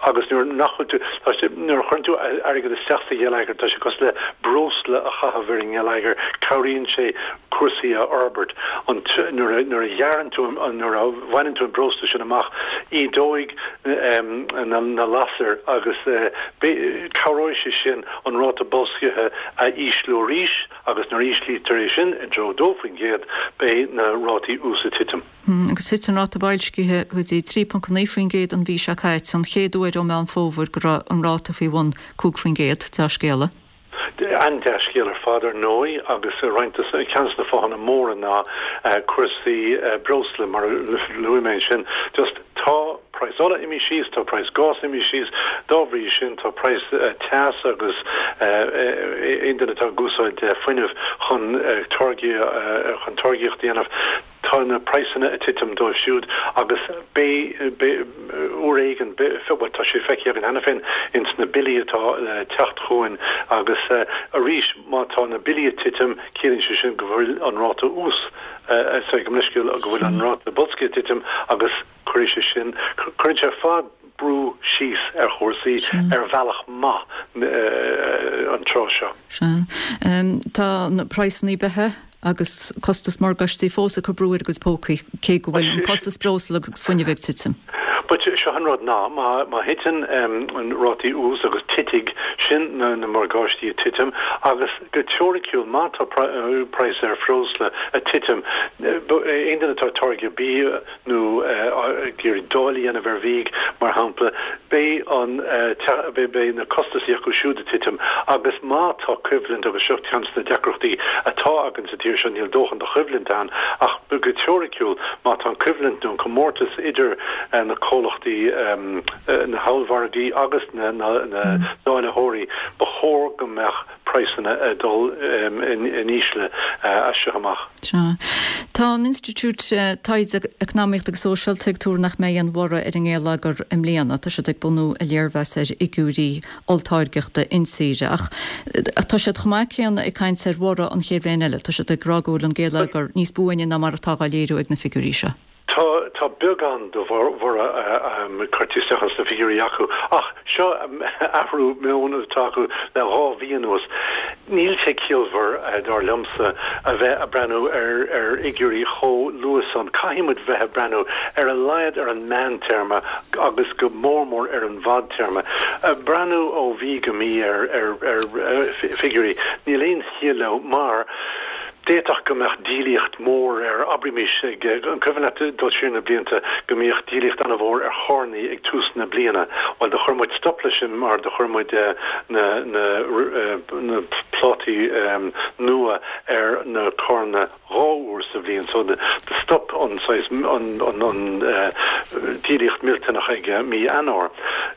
agus nuair nach bhfuil tú, tá sé, nuair a chuireann tú airgead isteach sa gheilleagar, tá sé cosúil le breosla a chaitheamh ar an ngeilleagar, cabhraíonn sé cúrsaí a fhorbairt. An, nuair a, nuair a ghearrann tú, nuair a bhaineann tú an breosla sin amach, ídeoidh na, na lasair agus cabhróidh sé sin an ráta boilscithe a ísliú arís. Agus nuair a íslítear é sin i dtreo dó faoin gcéad, beidh na rátaí ús ag titim. Agus thit an ráta boilscithe go dtí trí ponc naoi faoin gcéad an mhí seo caite, an chéad uair ó Meán Fómhair go raibh an ráta faoi bhun cúig faoin gcéad. Dea-scéala. An-dea-scéal ar fad, ar ndóigh, agus roinnt de, ceann de na fáthanna móra ná cúrsaí breosla, mar a luaigh mé ansin. Just tá praghas ola imithe síos, tá praghas gás imithe síos, dá bhrí sin tá praghas teas agus aon duine atá ag úsáid fuinneamh chun táirgí chun táirgíocht a dhéanamh, tá na praghsanna ag titim dóibh siúd agus beidh beidh uair éigin bhuel tá sé feicthe againn cheana féin ins na billí atá le teacht chugainn agus arís má tá na billí ag titim ciallaíonn sé sin go bhfuil an ráta ús sorry gabh mo leithscéal go bhfuil an ráta boilscithe ag titim agus Cuirfidh sé sin, cuireann sé ar fad brú síos ar chúrsaí ar bhealach maith an tráth seo. Sea. Tá na praghsanna beatha agus costas morgáistí fós ag cur brú ar a gcuid pócaí, cé go bhfuil an costas breosla agus fuinnimh ag titim. But seo an rud ná, má má thiteann an rátaí ús agus titfidh, sin na na morgáistí ag titim agus go teoiriciúil má tá praghas ar phreosla ag titim, aon duine atá ag táirgeadh bia, nó ag iarraidh dáileadh a dhéanamh ar bhia, mar shampla, beidh an, beidh na costasaí acu siúd ag titim agus má tá coimhlint, agus seo ceann de na deacrachtaí atá againn sa tír seo, níl dóthain de choimhlint ann, ach go teoiriciúil, má tá an coimhlint nó an comórtas idir na comhlachtaí, na hollmhargaí agus na dáilitheoirí, ba chóir go mbeadh praghsanna ag dul in ísle as seo amach. Sea. Tá an Institiúid Taighde Eacnamaíochta agus Sóisialta ag tuar nach mbeidh aon bhorradh ar an ngeilleagar i mbliana. Tá siad ag bunú a léirmheas ar fhigiúirí olltáirgeachta intíre. Ach tá siad chomh maith céanna ag caint ar bhorradh an chéad bhliain eile. Tá siad ag rá go bhfuil an geilleagar níos buaine ná mar atá á léiriú ag na figiúirí seo. Tá, tá beagán de bhorradh curtha isteach sna figiúirí acu, ach seo athrú meoin atá acu le dhá mhí anuas. Níl sé ciallmhar, dar liomsa, a bheith ag breathnú ar ar fhigiúirí chomh luath san. Caithfidh muid bheith ag breathnú ar a laghad ar an meántéarma agus go mór mór ar an bhfadtéarma. Breathnú ó mhí go mí ar ar ar figiúirí, níl aon chiall leo mar, D'fhéadfadh go mbeadh díolaíocht mhór ar, abraimis, ag, an cuimhin leat dul siar na blianta go mbíodh díolaíocht an-mhór ar charrannaí ag tús na bliana? Bhuel, do chuir muid stop leis sin mar do chuir muid na, na, na plátaí nua ar na carranna dhá uair sa bhliain so do stop an saghas an an díolaíocht millteanach ag mí Eanáir.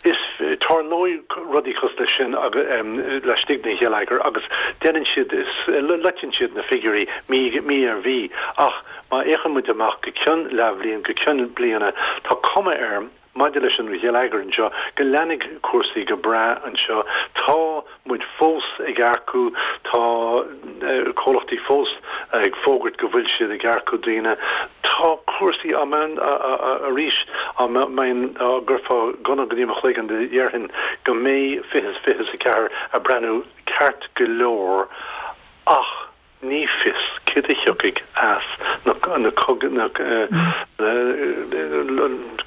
Is tarlóidh rudaí cosúil leis sin laistigh den gheilleagar agus déanann siad loiteann siad na figiúirí mí mí ar mhí ach má fhéachann muid amach go cionn leathbhliain go cionn bliana tá cuma air Maidir leis an gheilleagar anseo, go leanfaidh cúrsaí go breá anseo. Tá muid fós ag earcú, tá comhlachtaí fós ag fógairt go bhfuil siad ag earcú daoine. Tá cúrsaí á arís á mbeinn á gcuirfeá gunna go dtí mo chloigeann déarfainn go mbeidh fiche is fiche is a ceathair ag breathnú ceart go leor ach Ní fios céard a thiocfaidh as na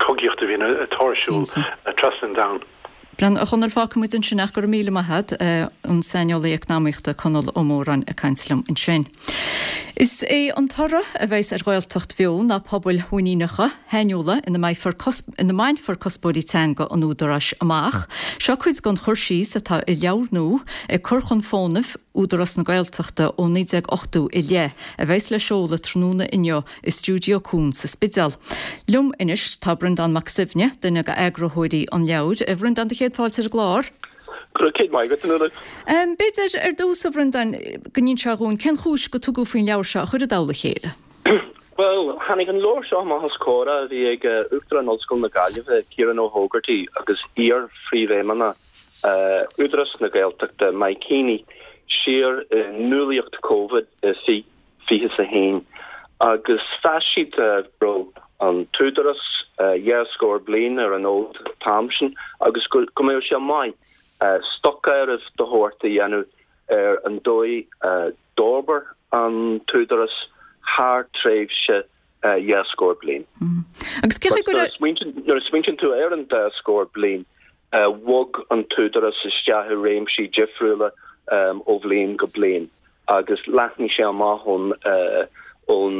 cogaíocht a bhíonn atá ar siúl trasna an domhain. Brendan, a Chonaill, fágfaidh muid ansin ach go raibh míle maith agat, an saineolaí eacnamaíochta Conall Ó Móráin ag caint liom ansin. Is é an toradh a bheas ar Ghaeltacht bheo ná pobail mhuiníneacha, shainiúla ina mbeifear ina mbainfear cuspóirí teanga an Údaráis amach. Seo cuid den chur síos atá i leabhar nua ag cur chun fónaimh Údarás na Gaeltachta ó naoi déag ochtó i leith, a bheas le seoladh tráthnóna inniu i Stiúideo Cuan sa Spidéal. Liom anois tá Breandán Mac Suibhne, duine d'eagraitheoirí an leabhair. A Bhreandáin, do chéad fáilte ar an gclár. Go raibh céad maith agat, a Nuala. B'fhéidir ar dtús, a Bhreandáin, go n-inseofá dhúinn cén chúis go tugadh faoin leabhar seo a chur i dtoll a chéile? Bhuel, tháinig an leabhar seo amach as comhrá a bhí ag Uachtarán Ollscoil na Gaillimhe, Ciarán Ó hÓgartaigh, agus iar-phríomhfheidhmeannach Údarás na Gaeltachta, Mike Heaney, siar i ndúlaíocht Covid i fiche fiche is a haon agus mheas siad go raibh an tÚdarás dhá scór bliain ar an fhód an t-am sin agus go mbeadh sé maith stocáireamh de shórt a dhéanamh ar an dóigh a d'fhorbair an tÚdarás thar tréimhse dhá scór bliain. Agus cé go raibh. Nuair a smaointíonn tú ar an dá scór bliain, bhog an tÚdarás isteach i réimsí difriúla ó bhliain go bliain agus leathnaigh sé amach ón ón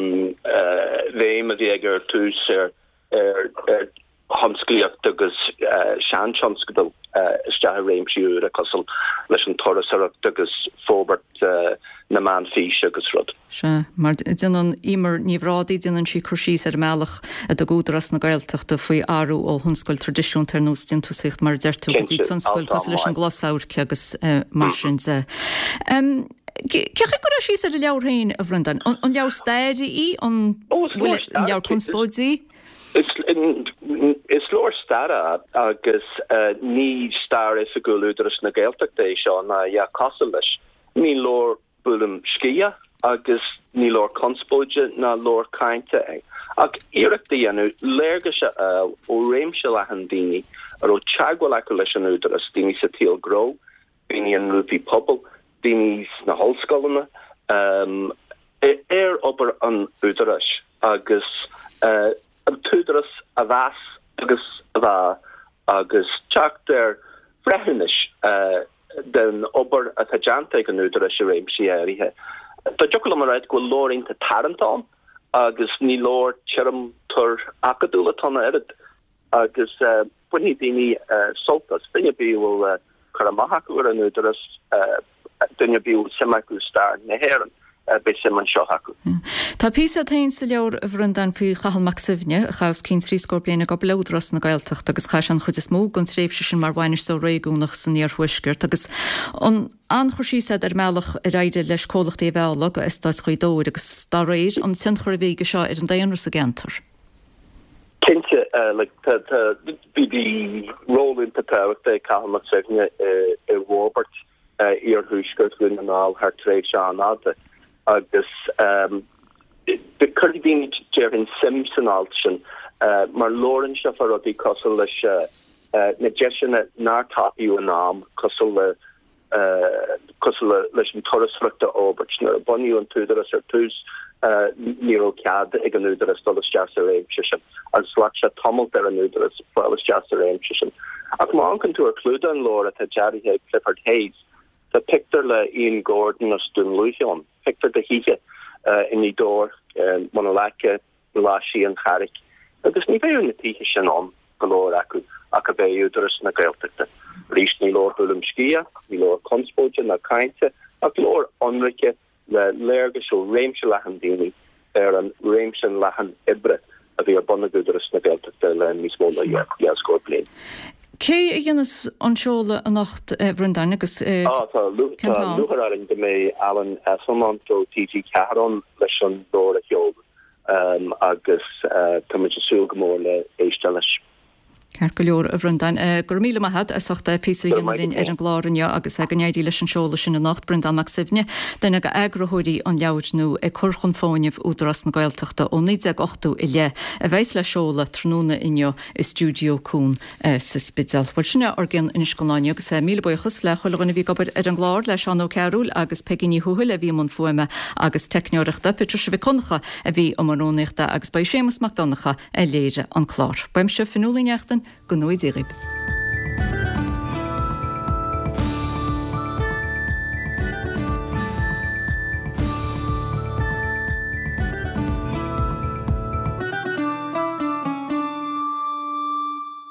bhéim a bhí aige ar tús ar ar thionsclaíocht agus seantionscadail isteach i réimsí úra cosúil leis an turasóireacht agus forbairt na meán físe agus rud. Sea, mar déanann Emer Ní Bhrádaigh, déanann sí cur síos ar an mbealach a dtug Údarás na Gaeltachta faoi athrú ó thionscail traidisiúnta ar nós déantúsaíocht mar a deir tú go dtí tionscail cosúil leis an gclosamhairc agus mar sin de. Cé chaoi a gcuirfeá síos ar an leabhar féin, a Bhreandáin? An leabhar staire í? An bhfuil an leabhar conspóide í? Is leabhar staire é agus ní stair oifigiúil Údarás na Gaeltachta é seo ná a dhath cosúil leis. Ní leabhar buaileam sciath agus ní leabhar conspóide ná leabhar cáinte é, ach iarracht a dhéanamh léargas a fháil ó réimse leathan daoine a raibh teagmháil acu leis an Údarás, daoine sa tsaol gnó, daoine i ngrúpaí pobail, daoine sna hollscoileanna, ar obair an Údaráis agus an tÚdarás a mheas agus a mheá agus teacht ar bhreithiúnais den obair atá déanta ag an Údarás i réimsí áirithe. Dá dtiocfadh liom a rá go bhfuil leabhar iontach tarraingteach ann agus ní leabhar tirim tur acadúil atá ann ach oiread agus bainfidh daoine sult as, duine ar bith a bhfuil cur amach acu ar an Údarás, duine ar bith a bhfuil suim acu i stair na hÉireann, beidh suim anseo acu. Tá píosa agat féin sa leabhar, a Bhreandáin, faoi Chathal Mac Suibhne, a chaith os cionn trí scór bliain ag obair le Údarás na Gaeltachta agus chaith sé an chuid is mó den tréimhse sin mar bhainisteoir réigiúnach san iarthuaisceart agus an an-chur síos agat ar an mbealach ar éirigh leis comhlachtaí a mhealladh go eastáit Ghaoth Dobhair agus dá réir an tionchar a bhí aige seo ar an daonra sa gceantar. Cinnte, bhí ról iontach tábhachtach ag Cathal Mac Suibhne i bhforbairt iarthuaisceart Dhún na nGall thar tréimhse an-fhada agus cuirfidh daoine, déarfainn, suim san alt sin mar labhrann sé fá rudaí cosúil leis na deiseanna nár tapaíodh in am, cosúil le cosúil leis an turasóireacht a fhorbairt. Nuair a bunaíodh an tÚdarás ar tús, ní raibh cead ag an Údarás dul isteach sa réimse sin agus ghlac sé tamalt ar an Údarás fáil isteach sa réimse sin. Ach má amharcann tú ar chlúdach an leabhair atá deartha ag Clifford Hayes, tá pictiúr le Ian Gordon as Dún Lúiche ann, pictiúr de thithe i nGaoth Dobhair, Muine Leaca, Glaisí, an Charraic, agus ní bheadh na tithe sin ann, go leor acu, ach a bheith Údarás na Gaeltachta. Arís, ní leabhar buaileam sciath, ní leabhar conspóide ná cainte, ach leabhar ionraice le léargas ó réimse leathan daoine ar an réimse leathan oibre a bhí ar bun ag Údarás na Gaeltachta le níos mó ná dhá scór bliain. Cé a dhéanas an seoladh anocht, a Bhreandáin, agus Á, tá cén t-am? lúcháir orainn go mbeidh Alan Esslemont ó TG Ceathair ann leis an leabhar a sheoladh agus tá muid ag súil go mór le éisteacht leis. Ceart go leor, a Bhreandáin. Go raibh míle maith agat as ucht píosa a dhéanamh linn ar an gclár inniu agus go n-éirí leis an seoladh sin anocht. Breandán Mac Suibhne, duine d'eagraitheoirí an leabhair nua Ag Cur Chun Fóinimh Údarás na Gaeltachta ó naoi déag ochtó i leith, a bheas le seoladh tráthnóna inniu i Stiúideo Cuan sa Spidéal. Bhuel, sin é ár gcion anois don lá inniu agus míle buíochas le chuile dhuine a bhí ag obair ar an gclár, le Seán Ó Cearúil agus Peigí Ní Thuathail a bhí i mbun fuaime agus teicneoireachta, Patricia Mhic Dhonncha a bhí i mbun rúnaíochta agus ba í Séamus Mac Donncha a léirigh an clár. Uaimse Fionnuala Ní Neachtain, go ngnóthaí Dia dhaoibh.